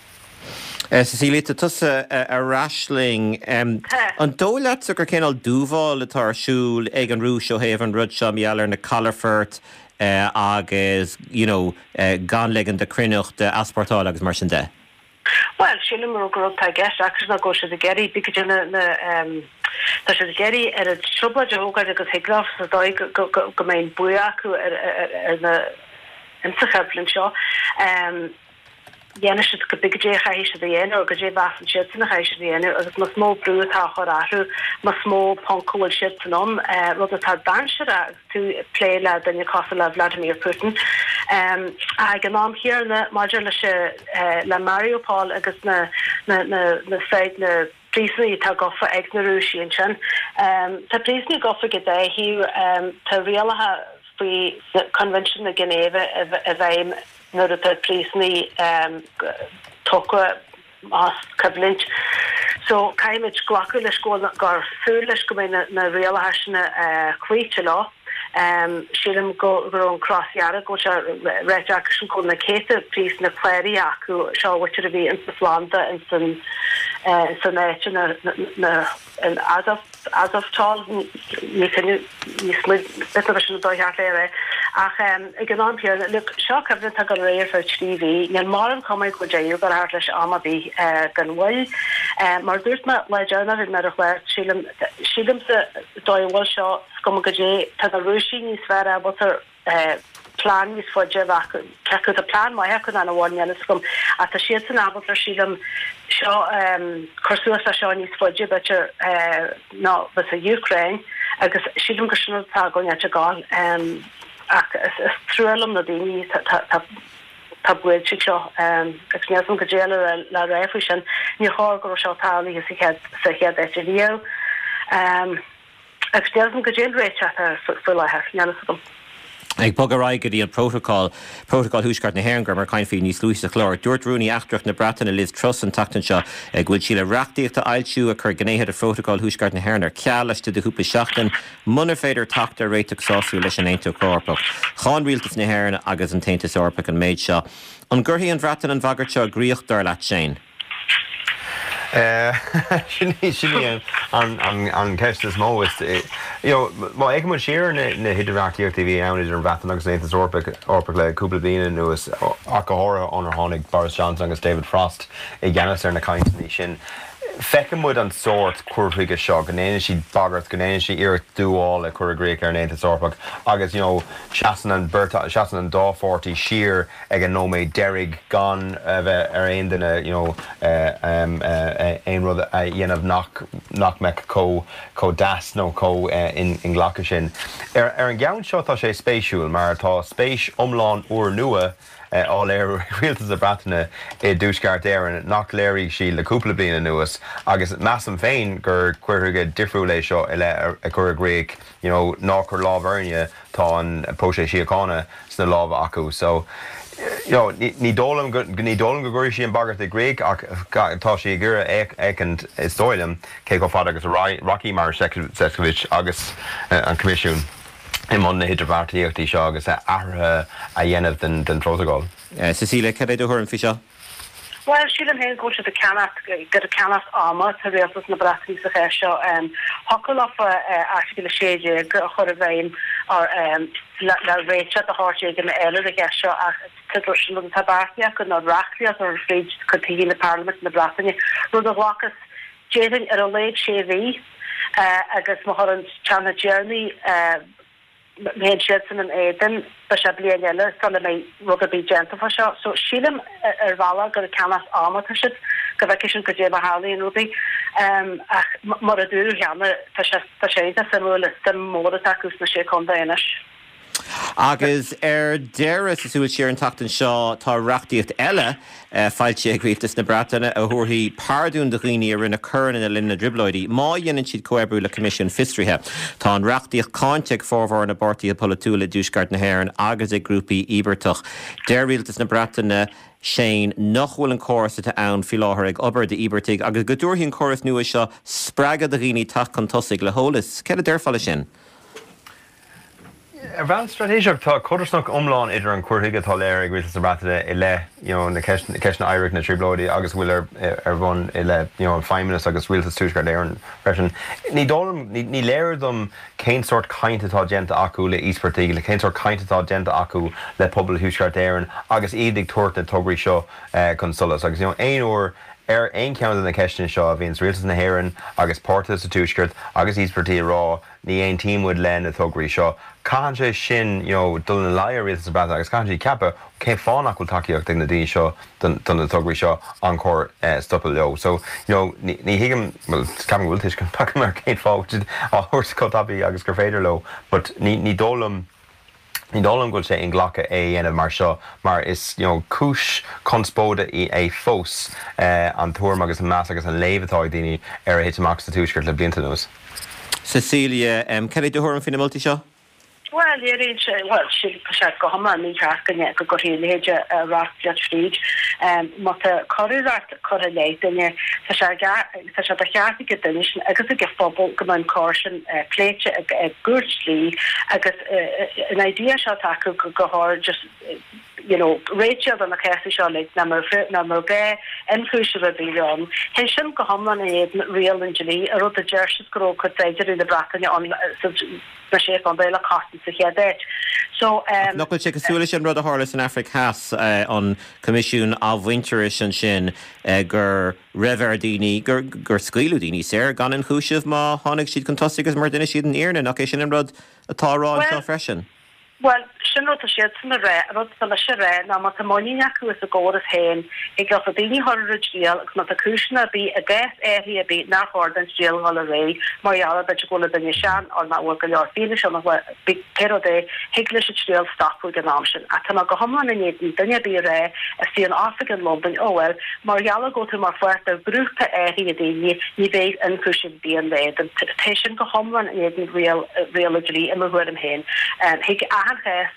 [SPEAKER 1] Cecilia, tá tusa ar ais linn. An dóigh leatsa gur cineál dúmhál atá ar siúl ag an Rúis ó thaobh an rud seo, mar gheall ar na calafoirt agus you know gan ligean do chruithneacht a easpórtáil agus mar sin de?
[SPEAKER 7] Bhuel, sílim gur rud atá i gceist acu ná go bhfuil siad ag iarraidh, bíodh go dtí na, tá siad ag iarraidh oiread trioblóid a thógáil agus thig leo sa dóigh go mbeidh an bua acu ar na, insa choimhlint seo. dhéanfaidh siad cibé goidé a chaithfidh siad a dhéanamh, nó goidé a mheasann siadsan a chaithfidh siad a dhéanamh, agus más mó brú atá á chur orthu, más mó ponc a bhfuil siadsan ann, rud atá dainséarach agus tú ag plé le duine cosúil le Vladimir Putin. Ach ag an am chéanna, maidir leis le Mariupol agus na na na na na príosúnaigh atá gafa ag na Rúisigh ansin, tá príosúnaigh gafa ag an dá thaobh, tá rialacha faoi Coinbhinsiún na Ginéive i bhfeidhm nuair atá príosúnaigh tógtha as coimhlint. So caithfimid glacadh leis go bhfuil gur súil leis go mbeidh na rialacha sin cloíte leo. Sílim go raibh an Cros Dhearg, go bhfuil sé ráite acusan go bhfuil na céadta príosúnach cláraithe acu, seo an mhuintir a bhí ins na phlanda ins an san áit na in Azov Azovstal ní ní sin dóigh ceart le é ach ag an am céanna look seo coimhlint atá ag dul ar aghaidh ar feadh trí mhí níl mórán cuma go bhfuil deireadh ag teacht leis am ar bith gan mhoill mar dúirt mé lá deireanach bhí mé ar an chlár sílim sílimse dóigh a bhfuil seo is cuma goidé tá na Rúisigh níos fearr ábalta plean níos faide a bheith acu, cé acu tá plean maith acu nó nach bhfuil, níl a fhios agam, ach tá siadsan ábalta, sílim, seo, cur suas le seo níos faide, b'fhéidir, ná bheas an Úcráin agus sílim gur sin rud atá againn ag gabháil. Ach is trua liom na daoine atá buailte ag seo agus níl a fhios agam goidé le rá faoi sin. Níor chóir go raibh seo tarlaithe sa chéad sa chéad áit riamh. Agus níl a fhios agam goidé an réiteach atá faoi láthair, níl a fhios agam.
[SPEAKER 1] Ag bogadh ar aghaidh go dtí an Prótacal, Prótacal Thuaisceart na hÉireann, go rabhamar ag caint faoi níos luaithe sa chlár. Dúirt Rúnaí Eachtrach na Breataine Liz Truss an tseachtain seo go bhfuil sí le reachtaíocht a fhoilsiú a chuirfidh gnéithe de Phrótacal Thuaisceart na hÉireann ar ceal laistigh de chúpla seachtain munar féidir teacht ar réiteach sásúil leis an Aontas Eorpach. Cháin Rialtas na hÉireann agus an tAontas Eorpach an méid seo. An gcuirfidh an Bhreatain an bhagairt seo i gcrích, dar leat, Shane?
[SPEAKER 6] Sin í an cheist is mó. Má fhéachann muid siar ar na hidirbheartaíochtaí a bhí ann idir an Bhreatain agus an Aontas Eorpach le cúpla bliain anuas, ach go háirithe ónar tháinig Boris Johnson agus David Frost i gceannas ar na cainteanna sin, feiceann muid an sórt cur chuige seo, go ndéanann siad bagairt, go ndéanann siad iarracht dúmhál a chur i gcrích ar an Aontas Eorpach agus you know seasann an bheirt, seasann an dá pháirtí siar ag an nóiméad deiridh gan a bheith ar aon duine you know aon rud a dhéanamh nach nach mbeadh chomh chomh deas nó chomh inghlactha sin. Ar ar an gceann seo tá sé spéisiúil mar tá spéis iomlán úrnua á léiriú ag Rialtas na Breataine i dTuaisceart Éireann nach léirigh siad le cúpla bliain anuas agus measaim féin gur cur chuige difriúil é seo i leith a chur i gcrích you know ná cuir lámh orainne tá an próiseas síochána sna lámha acu so you know ní dóigh liom go ní dóigh liom go gcuirfidh sí an bhagairt i gcrích ach tá sí ag iarraidh féachaint is dóigh liom cé chomh fada agus a rachaidh Maroš Šefčovič agus an Coimisiún. i mbun na hidirbheartaíochtaí seo agus athruithe a dhéanamh den phrótacal.
[SPEAKER 1] Cecilia, cad é do thuairim faoi seo?
[SPEAKER 7] Bhuel, sílim féin go bhfuil siad ag ceannacht, gur ag ceannacht ama atá rialtas na Breataine sa cheist seo. Thiocfadh leofa Airteagal a sé déag a chur i bhfeidhm le réiteach de shórt éigin a fháil ar an gceist seo ach sin rud atá beartaithe acu ná reachtaíocht a chur fríd chuig Tithe Parlaiminte na Breataine, rud a ghlacfas, déarfainn, ar a laghad sé mhí agus má chuireann teanna deireanaí má théann siadsan in éadan, beidh sé bliain eile sula mbeidh rud ar bith déanta fá seo. So sílim ar bhealach gur ag ceannacht ama atá siad, go bhfeicfidh siad goidé mar a tharlaíonn rudaí. Ach mar a dúradh cheana, tá sé tá sé iontach suimiúil, is suim mhór atá acu sna Sé Chontae anois.
[SPEAKER 1] Agus ar deireadh, sa súil siar an tseachtain seo, tá reachtaíocht eile foilsithe ag Rialtas na Breataine a thabharfaidh pardún do dhaoine a rinne coireanna le linn na dTrioblóidí má dhéanann siad comhoibriú le Coimisiún Fiosraithe. Tá an reachtaíocht cáinte ag formhór na bpáirtithe polaitiúla i dTuaisceart na hÉireann agus ag grúpaí íobartach. Deir Rialtas na Breataine, Shane, nach bhfuil an córas atá ann faoi láthair ag obair d'íobartaigh agus go dtabharfaidh an córas nua seo spreagadh do dhaoine teacht chun tosaigh le heolas. Céard a déarfá leis sin?
[SPEAKER 6] Ar bhonn straitéiseach, tá codarsnacht iomlán idir an cur chuige atá léirithe ag Rialtas na Breataine i leith you know na ceisteanna oidhreachta na dTrioblóidí agus a bhfuil ar ar bun i leith you know an Feidhmeannas agus Rialtas Tuaisceart Éireann freisin. Ní dóigh liom, ní léir dom cén sórt caint atá déanta acu le íospartaigh, le cén sórt caint atá déanta acu le pobal Thuaisceart Éireann agus iad ag tabhairt na tograí seo chun solais. Agus you know aon uair ar aon cheann de na ceisteanna seo a bhíonns Rialtas na hÉireann agus páirtithe sa Tuaisceart agus íospartaigh ag rá ní aontaíonn muid le na tograí seo. Caitheann sé sin you know, dul ina luí ar Rialtas na Breataine agus caitheann siad ceapadh cén fáth nach bhfuil tacaíocht ag na daoine seo don do na tograí seo an cóir eh, stopadh leo. So you know, ní, ní thuigim well, ceapaim go bhfuil tuiscint agam ar cén fáth siad á thabhairt chomh tapaidh agus gur féidir leo, but ní, ní dóigh liom Ní dóigh liom go bhfuil sé inghlactha é a dhéanamh mar seo mar is you know, cúis conspóide í é fós eh, an tuairim agus an meas agus an léamh atá ag daoine ar a thit amach sa Tuaisceart le blianta anuas.
[SPEAKER 1] Cecilia, um, cad é do thuairim faoi na moltaí seo?
[SPEAKER 7] Well, léiríonn sé well sin sé go hiomlán mícheart go go gcuirfí a leithéid reachtaíocht fríd. Má tá coireacht curtha i leith duine tá sé tá sé de cheart ag an duine sin agus ag an phobal go mbeidh an choir sin pléite ag gcúirt dlí agus an idea seo acu go go háir just you know réiteach do na céasaí seo le na mar na mar gé ionchúiseamh a bhí ann. Hé sin go hiomlán in éadan riail an dlí a rud a deir siad go raibh cuid saighdiúirí na Breataine an na sé chontae le cosaint sa chéad áit. So um,
[SPEAKER 1] Nach bhfuil sé cosúil leis an rud a tharla san Afraic Theas uh, an Coimisiún Athmhuintearais ansin uh, gur raibh ar daoine gur gur scaoileadh daoine saor gan ionchúiseamh má tháinig siad chun tosaigh agus mar d'inis siad an fhírinne nach é sin an rud atá á rá
[SPEAKER 7] Well-
[SPEAKER 1] seo freisin.
[SPEAKER 7] Well, sin rud siad san ré rud san leis ré ná má tá muinín acu as a gcóras féin ag go daoine thar a triail agus má tá cúiseanna ar bith i gcás áirithe ar bith nach chóir don triail dhul ar aghaidh mar gheall b'fhéidir go bhfuil duine sean or nach bhfuil go leor fianaise nach bhfuil pé rud é thig leis an triail stopadh ag an am sin. Ach tá go hiomlán in éadan duine ar bith ré a sí an oifig in Londain ó well mar gheall go tú mar pháirt de ghrúpa áirithe daoine ní bheidh ionchúiseamh ar bith ann Tá sin go hiomlán in éadan riail riail dlí i mo thuairim féin. Thig achan chás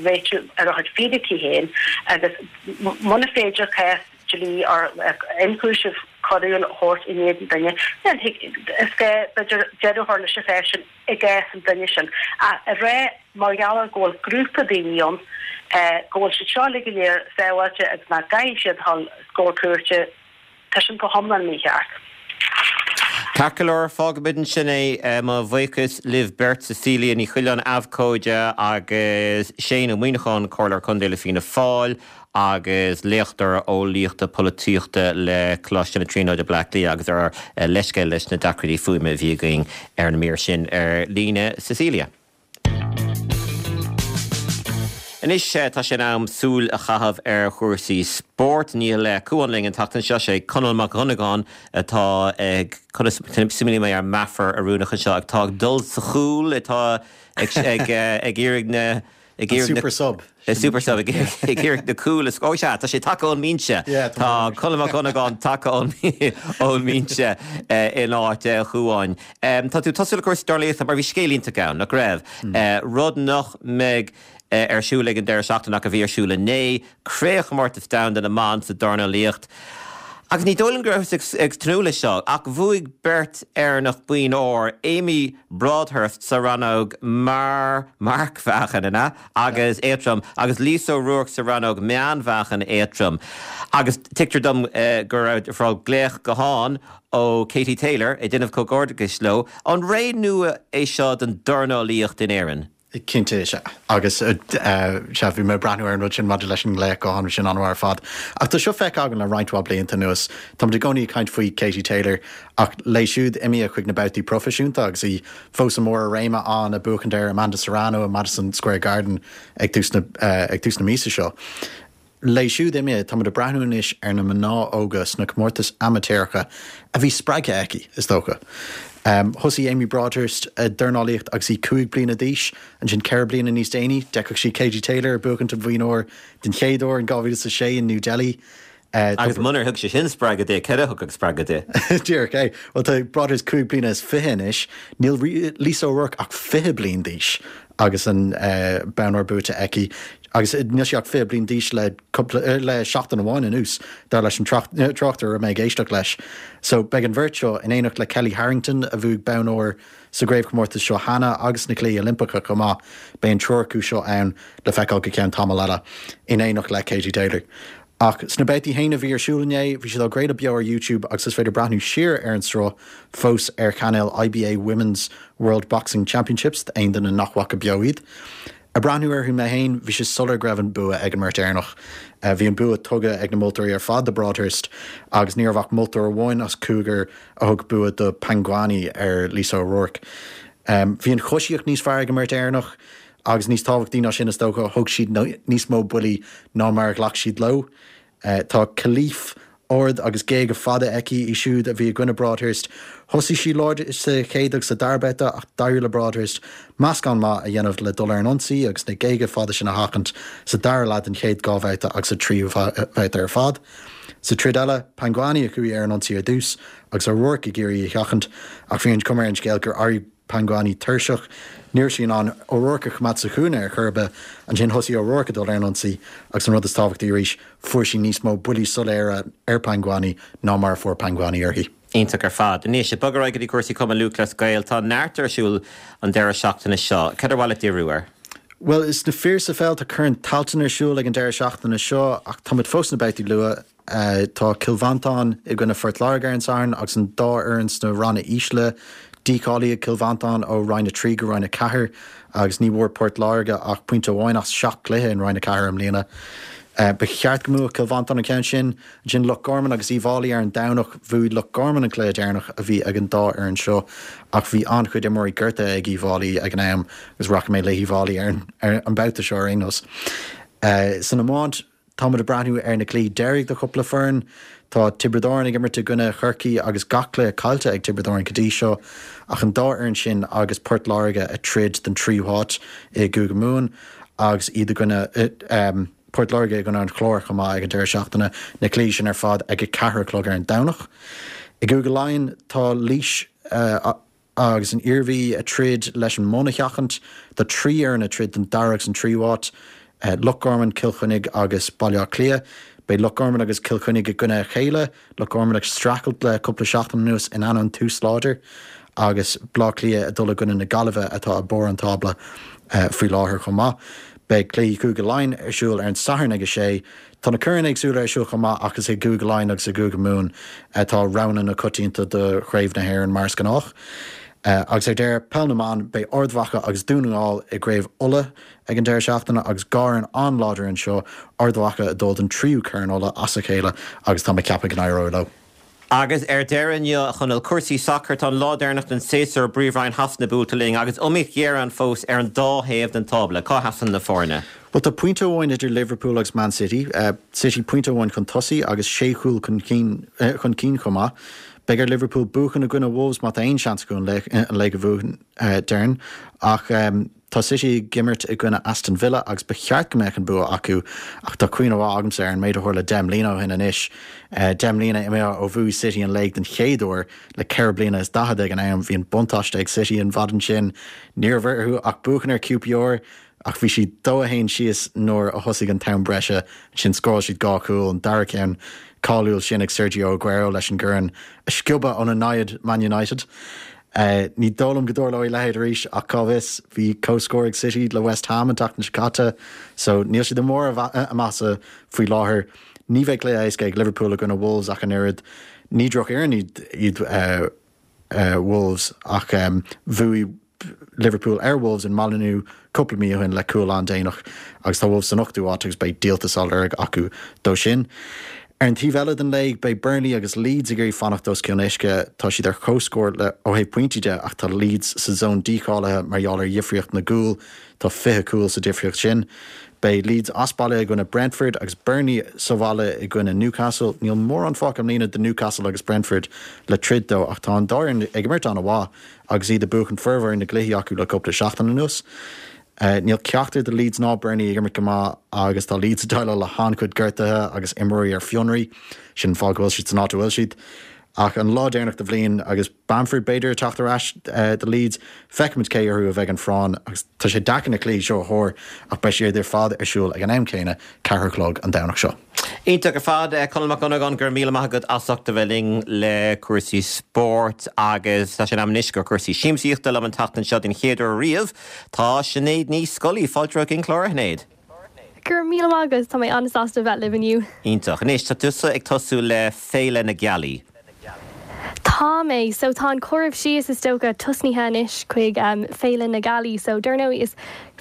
[SPEAKER 7] réiteach ar a chuid fíricí féin agus muna féidir cás dlí ar ionchúiseamh coiriúil a thabhairt in éadan duine then is gá b'fhéidir deireadh a chur leis an chás sin i gcás an duine sin a ré mar gheall go bhfuil grúpa daoine ann go bhfuil siad seo le go léir sábháilte agus nach gcaithfidh siad dul os comhair cúirte tá sin go hiomlán mícheart.
[SPEAKER 1] Ceart go leor fágfaimid ansin é mo bhuíochas libh beirt Cecilia Ní Choileáin abhcóide agus Shane Ó Muíneacháin Comhairleoir Contae le Fianna Fáil agus léachtóir eolaíochta polaitíochta le Coláiste na Tríonóide Bleá Cliath agus ar leithscéal leis na deacrachtaí fuaime a bhí againn ar an mír sin ar líne Cecilia. Anois tá sé in am súil a chaitheamh ar chúrsaí spóirt níl le Cuan linn an tseachtain seo sé Conall Mac Dhonnagáin atá ag smaoinigh mé ar meafar oiriúnach anseo ag tá ag dul sa chúl atá ag ag ag iarraidh na ag iarraidh
[SPEAKER 8] super sub.
[SPEAKER 1] super sub ag iarraidh na cúil is ó sea tá sé tagtha ón mbinse Tá Conall Mac Dhonnagáin tagtha ón mbinse in áit Chuáin. Tá tú tosú le cúrsaí dornálaíochta mar bhí scéal iontach ann nach raibh rud nach mbeidh ar siúl ag an deireadh seachtaine ach a bhí ar siúl inné, Craobhchomórtas Domhanda na mBan sa dornálaíocht. Agus ní dóigh liom go raibh ag tnúth leis seo ach bhuaigh beirt Éireannach boinn óir Amy Broadhurst sa rannóg mar marcmheáchan ina agus éadrom agus Lisa O'Rourke sa rannóg meánmheáchan éadrom. Agus tuigtear dom uh, go raibh fráil glaoch gutháin ó Katie Taylor ag déanamh comhghairdeachais leo an ré nua é seo den dornálaíocht in Éirinn.
[SPEAKER 8] Cinnte sea agus se bhí mé breathnú ar an rud sin maidir leis an nglaoch gutháin sin an-mhaith ar fad. Ach tá seo feicthe againn le roinnt mhaith blianta anuas Tá i gcónaí caint faoi Katie Taylor ach léi siúd imithe chuig na babhtaí proifisiúnta agus í fós i mbarr a réime ann ag buachaint ar Amanda Serrano i Madison Square Garden ag tús na, uh, ag tús na míosa seo. Léi siúd imithe tá ag breathnú anois ar na mná óga sna comórtais amaitéaracha a bhí spreagtha aici is dócha. Um, Thosaigh Amy Broadhurst a dornálaíocht agus í cúig bliana d'aois ansin ceithre bliana níos déanaí, d'fheiceadh sí Katie Taylor buachaint an bhoinn óir den chéad uair in dhá mhíle a sé in New Delhi.
[SPEAKER 1] Uh, agus munar thug sé sin spreagadh di céard a thug spreagadh di.
[SPEAKER 8] Díreach é Well tá Broadhurst cúig bliana is fiche anois, níl Lisa O'Rourke ach fiche bliain d'aois agus an uh, bonn óir buaite aici agus níl sí ach fiche bliain d'aois le uh, le seachtain amháin anuas dar leis an tráchtaire a mé ag éisteacht leis. So beidh an bheirt seo in éineacht le Kelly Harrington a bhuaigh bonn óir sa gcraobhchomórtas seo cheana agus na Cluichí Oilimpeacha chomh maith beidh an triúr acu seo ann le feiceáil go ceann tamall eile in éineacht le Katie Taylor. Ach sna babhtaí féin a bhí ar siúl inné, bhí siad á gcraoladh beo ar YouTube agus is féidir breathnú siar ar an sruth fós ar chainéal IBA Women's World Boxing Championships aon duine nach bhfaca beo iad. Ag breathnú orthu mé féin, bhí sé soiléir go raibh an bua ag an mbeirt Éireannach. Bhí an bua tugtha ag na moltóirí ar fad do Broadhurst agus ní raibh ach moltóir amháin as cúigear a thug bua do Pangani ar Lisa O'Rourke. Bhí an choisíocht níos fearr ag an mbeirt Éireannach agus níos tábhachtaí ná sin is dócha, thug siad níos mó buillí ná mar a ghlac siad leo. Tá Khelif ard agus géaga fada aici í siúd a bhí i gcoinne Broadhurst. Thosaigh sí láidir sa chéad agus sa dara babhta ach d'éirigh le Broadhurst meascán maith a dhéanamh le dul ar an ionsaí agus na géaga fada sin a sheachaint sa dara leath den chéad dhá bhabhta agus sa tríú babhta ar fad. Sa troid eile, Pangani a chuaigh ar an ionsaí ar dtús agus O'Rourke ag iarraidh í a sheachaint ach bhí an chuma ar an scéal gur éirigh Pangani tuirseach. Ní raibh sí in ann O'Rourke a choimeád sa chúinne ar chor ar bith. Ansin thosaigh O'Rourke ag dul ar an ionsaí agus an rud is tábhachtaí arís, fuair sí níos mó buillí soiléire ar Pangani ná mar a fuair Pangani uirthi.
[SPEAKER 1] Iontach ar fad. Anois, ag bogadh ar aghaidh go dtí cúrsaí Cumann Lúthchleas Gael, tá neart ar siúl an deireadh seachtaine seo. Cad ar mhaith leat díriú air?
[SPEAKER 8] Bhuel, sna fir sa pheil tá Corn Tailteann ar siúl ag an deireadh seachtaine seo ach táimid fós sna babhtaí luath. Tá Cill Mhantáin i gcoinne Phort Láirge ar an Satharn agus an dá fhoireann sna ranna ísle. Dícháilíodh Cill Mhantáin ó Roinn a trí go Roinn a ceathair agus ní bhfuair Port Láirge ach pointe amháin as seacht gcluiche in Roinn a ceathair i mbliana. Ba cheart go mbuafadh Cill Mhantáin an ceann sin. Ansin Loch Garman agus Uíbh Fhailí ar an Domhnach. Bhuaigh Loch Garman an cluiche deireanach a bhí ag an dá fhoireann seo ach bhí an-chuid imreoirí gortaithe ag Uíbh Fhailí ag an am agus rachaidh mé le hUíbh Fhailí ar an mbabhta seo ar aon nós. San iomáint, Táimid ag breathnú ar na cluichí deiridh do chúpla foireann. Tá Tiobraid Árann ag imirt i gcoinne Chorcaí agus gach cluiche caillte ag Tiobraid Árann go dtí seo ach an dá fhoireann sin agus Port Láirge ag troid don tríú háit i gCúige Mumhan agus iad i gcoinne Port Láirge i gcoinne an Chláir chomh maith ag an deireadh seachtaine, na cluichí sin ar fad ag a ceathair a chlog ar an Domhnach. I gCúige Laighean tá Laois agus an Iarmhí ag troid leis an mbun a sheachaint. Tá trí fhoireann ag troid don dara agus an tríú háit, Loch Garman, Cill Chainnigh agus Baile Átha Cliath. Beidh Loch Garman agus Cill Chainnigh i gcoinne a chéile, Loch Garman ag streachailt le cúpla seachtain anuas in ainneoin tús láidir, agus Baile Átha Cliath ag dul i gcoinne na Gaillimhe atá ag barr an tábla faoi láthair chomh maith. Beidh cluichí Chúige Laighean ar siúl ar an Satharn ag a sé. Tá na coirn éagsúla ar siúl chomh maith ach is i gCúige Laighean agus i gCúige Mumhan atá roghanna na coitianta do Chraobh na hÉireann mar is gnách. Agus ar deireadh, Peil na mBan, beidh Ard Mhacha agus Dún na nGall i gCraobh Uladh ag an deireadh seachtaine agus dhá fhoireann an-láidir anseo, Ard Mhacha ag dul don tríú Corn Uladh as a chéile agus tá mé ag ceapadh go n-éireoidh leo.
[SPEAKER 1] Agus ar deireadh inniu, a Chonaill, cúrsaí sacair, tá an lá deireanach den séasúr i bPríomhroinn Shasana buailte linn agus iomaíocht ghéar ann fós ar an dá thaobh den tábla. Cá sheasann na foirne?
[SPEAKER 8] Bhuel, tá pointe amháin idir Liverpool agus Man City, City pointe amháin chun tosaigh agus sé chúl chun cinn chomh maith. Beidh ar Liverpool buachan i gcoinne Wolves má tá aon seans acu an léig a bhuachan, déarfainn. Ach tá City ag imirt i gcoinne Aston Villa agus ba cheart go mbeadh an bua acu ach tá cuimhne mhaith agamsa ar an méid a tharla deich mbliana ó shin anois. Deich mbliana imithe ó bhuaigh City an léig den chéad uair le ceithre bliana is daichead ag an am. Bhí an buntáiste ag City an mhaidin sin. Ní raibh orthu ach buachan ar QPR. Ach bhí siad dó a haon síos nuair a thosaigh an t-am breise. Ansin scóráil siad dhá chúl, an dara ceann cáiliúil sin ag Sergio Aguero leis an gcorn a sciobadh óna namhaid Man United. Ní dóigh liom go dtarlóidh a leithéid arís ach cá bhfios, bhí comhscór ag City le West Ham an tseachtain seo caite so níl siad i mbarr a maitheasa faoi láthair. Ní bheidh cluiche éasca ag Liverpool i gcoinne Wolves ach an oiread. Ní drochfhoireann iad Wolves ach bhuaigh Liverpool ar Wolves in Molineux cúpla mí ó shin le cúl an-déanach agus tá Wolves san ochtú háit agus beidh díoltas á lorg acu dó sin. Ar an taobh eile den léig, beidh Burnley agus Leeds ag iarraidh fanacht os cionn uisce. Tá siad ar comhscór le ó thaobh pointí de ach tá Leeds sa zón dícháilithe mar gheall ar dhifríocht na gcúl, tá fiche cúl sa difríocht sin. Beidh Leeds as baile i gcoinne Brentford agus Burnley sa bhaile i gcoinne Newcastle. Níl mórán fágtha i mbliana do Newcastle agus Brentford le troid dó ach tá an dá fhoireann ag imirt an-mhaith agus iad ag buachan formhór na gcluichí acu le cúpla seachtain anuas. Níl ceachtar de Leeds ná Burnley ag imirt go maith agus tá Leeds ag déileáil le han-chuid gortuithe agus imreoirí ar fionraí. Sin an fáth go bhfuil siad san áit a bhfuil siad. Ach an lá deireanach de bhliain agus Bamford b'fhéidir ag teacht ar ais do Leeds, feicfimid cé orthu a bheidh an phráinn agus tá sé deacair na cluichí seo a thuar ach beidh siad ar fad ar siúl ag an am céanna, ceathair a chlog an Domhnach seo.
[SPEAKER 1] Iontach ar fad, Conall Mac Dhonnagáin, go raibh míle maith agat as ucht a bheith linn le cúrsaí spóirt agus tá sé in am anois do chúrsaí siamsaíochta liom an tseachtain seo den chéad uair riamh. Tá Sinéad Ní Scolaí, fáilte romhat chuig an chlár, a Shinéad.
[SPEAKER 9] Go raibh míle maith agat, tá mé an-sásta bheith libh inniu.
[SPEAKER 1] Iontach. Anois, tá tusa ag tosú le Féile na Gealaí.
[SPEAKER 9] Tá mé. So tá an comhaireamh síos is dócha tosnaithe anois chuig Féile na Gealaí. So dar ndóigh is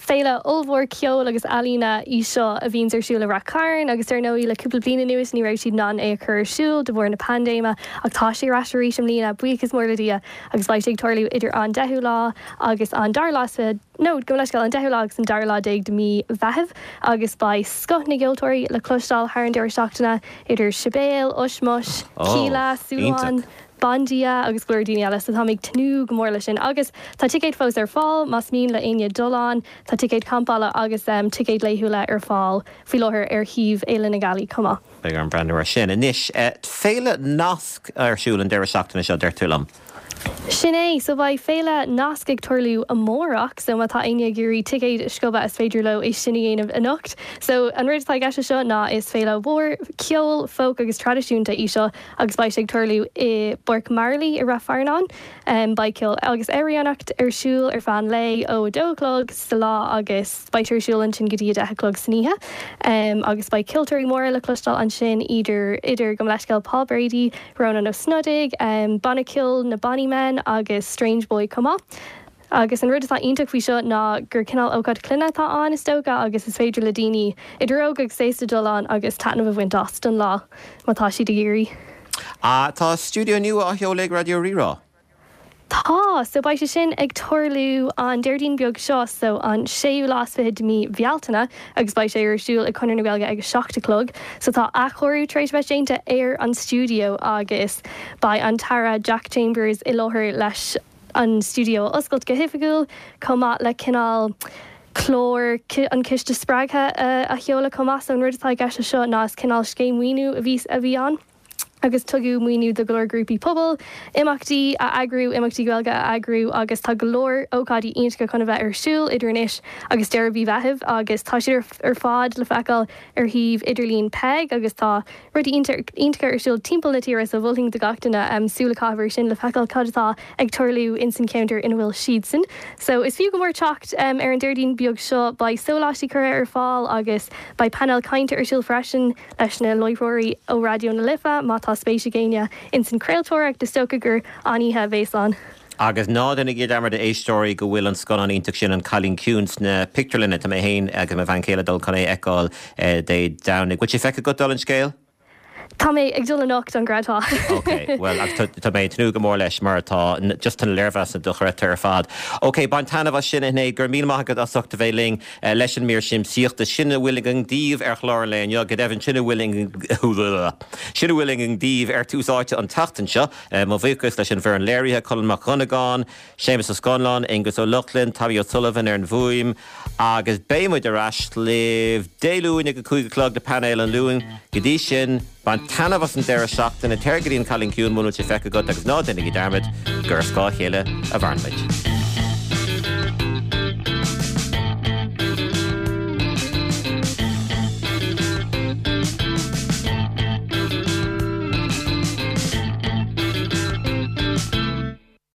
[SPEAKER 9] Féile ollmhór ceoil agus ealaíne í seo a bhíonns ar siúl i Rath Cairn agus ar ndóigh le cúpla bliain anuas ní raibh siad in ann é a chur ar siúl de bharr na paindéime ach tá sé ar ais arís i mbliana, buíochas mór le Dia, agus beidh sé ag tarlú idir an deichiú lá agus an dara lá is fiche, nó gabh mo leithscéal, an deichiú lá agus an dara lá déag de mhí Mheithimh agus beidh scoth na gceoltóirí le cloisteáil thar an deireadh seachtaine idir Sibéal, Ushmush, Kíla, Súlán. Bandia agus go leor daoine eile so táim ag tnúth go mór leis sin agus tá ticéid fós ar fáil más mian le éinne dul ann. Tá ticéid campála agus ticéid laethúla ar fáil faoi láthair ar shuíomh Fhéile na Gealaí chomh maith.
[SPEAKER 1] Beidh orm breathnú air sin. Anois, Féile Nasc ar siúl an deireadh seachtaine seo, deir tú liom.
[SPEAKER 9] Sin é, so beidh Féile Nasc ag tarlú amárach, so má tá éinne ag iarraidh ticéid a sciobadh is féidir leo é sin a dhéanamh anocht. So an rud atá i gceist leis seo ná is féile mhór ceoil, folk agus traidisiúnta í seo agus beidh sé ag tarlú i bPáirc Marlaí i Rath Fearnáin. Beidh ceol agus amhránaíocht ar siúl ar feadh an lae ó a dó a chlog sa lá agus beidh sé ar siúl ansin go dtí a deich a chlog san oíche. Agus beidh ceoltóirí móra le cloisteáil ansin idir idir gabh mo leithscéal Paul Brady, Rónán Ó Snodaigh, banna ceoil na Bonny Men agus Strange Boy chomh maith. Agus an rud atá iontach faoi seo ná gur cineál ócáid clainne atá ann is dócha agus is féidir le daoine idir óg agus aosta dul ann agus taitneamh a bhaint as don lá má tá siad ag iarraidh.
[SPEAKER 1] Tá stiúideo nua á sheoladh ag Raidió Rí-Rá.
[SPEAKER 9] Tá! So beidh sé sin ag tarlú an Déardaoin beag seo, so an séú lá is fiche de mí Bhealtaine agus beidh sé ar siúl ag Conradh na Gaeilge ag a seacht a chlog. So tá athchóiriú tar éis bheith déanta ar an stiúideo agus beidh an tAire Jack Chambers i láthair leis an stiúideo a oscailt go hoifigiúil, chomh maith le cineál clár an Chiste Spreagtha a sheoladh chomh maith. So an rud atá i gceist leis seo ná is cineál scéim maoiniú a bhí a bhí ann. agus tugadh maoiniú do go leor grúpaí pobail, imeachtaí a eagrú, imeachtaí Gaeilge a eagrú agus tá go leor ócáidí iontacha chun a bheith ar siúl idir anois agus deireadh mhí Mheithimh agus tá siad ar fad le feiceáil ar shuíomh idirlín Peig agus tá rudaí iontacha ar siúl timpeall na tíre so mholfainn do gach duine súil a chaitheamh air sin le feiceáil cad atá ag tarlú ins an cheantar ina bhfuil siadsan. So is fiú go mór teacht ar an Déardaoin beag seo, beidh sóláistí curtha ar fáil agus beidh painéal cainte ar siúl freisin. leis na láithreoirí ó Raidió na Life, má tá spéis ag éinne ins an chraoltóireacht, is dócha gur an-oíche a bhéas ann.
[SPEAKER 1] Agus ná déanaigí dearmad, a éisteoirí, go bhfuil an scannán iontach sin, An Cailín Ciúin, sna pictiúrlanna. Tá mé féin agus mo bhean chéile ag dul chun é a fheiceáil Dé Domhnaigh. Bhfuil sé feicthe agat, dála an scéil?
[SPEAKER 9] Tá mé ag dul anocht, an gcreidfeá.
[SPEAKER 1] Ok, bhuel, agus tá mé ag tnúth go mór leis mar tá just tá na léirmheasanna dochreidte ar fad. Ok, bain taitneamh as sin, a Shinéad, go raibh míle maith agat as ucht a bheith linn leis an mír siamsaíochta. Sin a bhfuil againn daoibh ar chlár an lae inniu, go deimhin sin a bhfuil sin a bhfuil againn daoibh ar Tús Áite an tseachtain seo. Mo bhuíochas leis an bhfoireann léirithe, Colm Mac Dhonnagáin, Séamus Ó Scanláin, Aengus Ó Lochlainn, Tommy O'Sullivan ar an bhfuaim, agus beidh muid ar ais libh Dé Luain ag a cúig a chlog le Painéal an Luain. Go dtí sin, bain taitneamh as an deireadh seachtaine, téir go dtí an Cailín Ciúin muna bhfuil sé feicthe agat agus ná déanaigí dearmad gur ar scáth a chéile a mhaireann muid.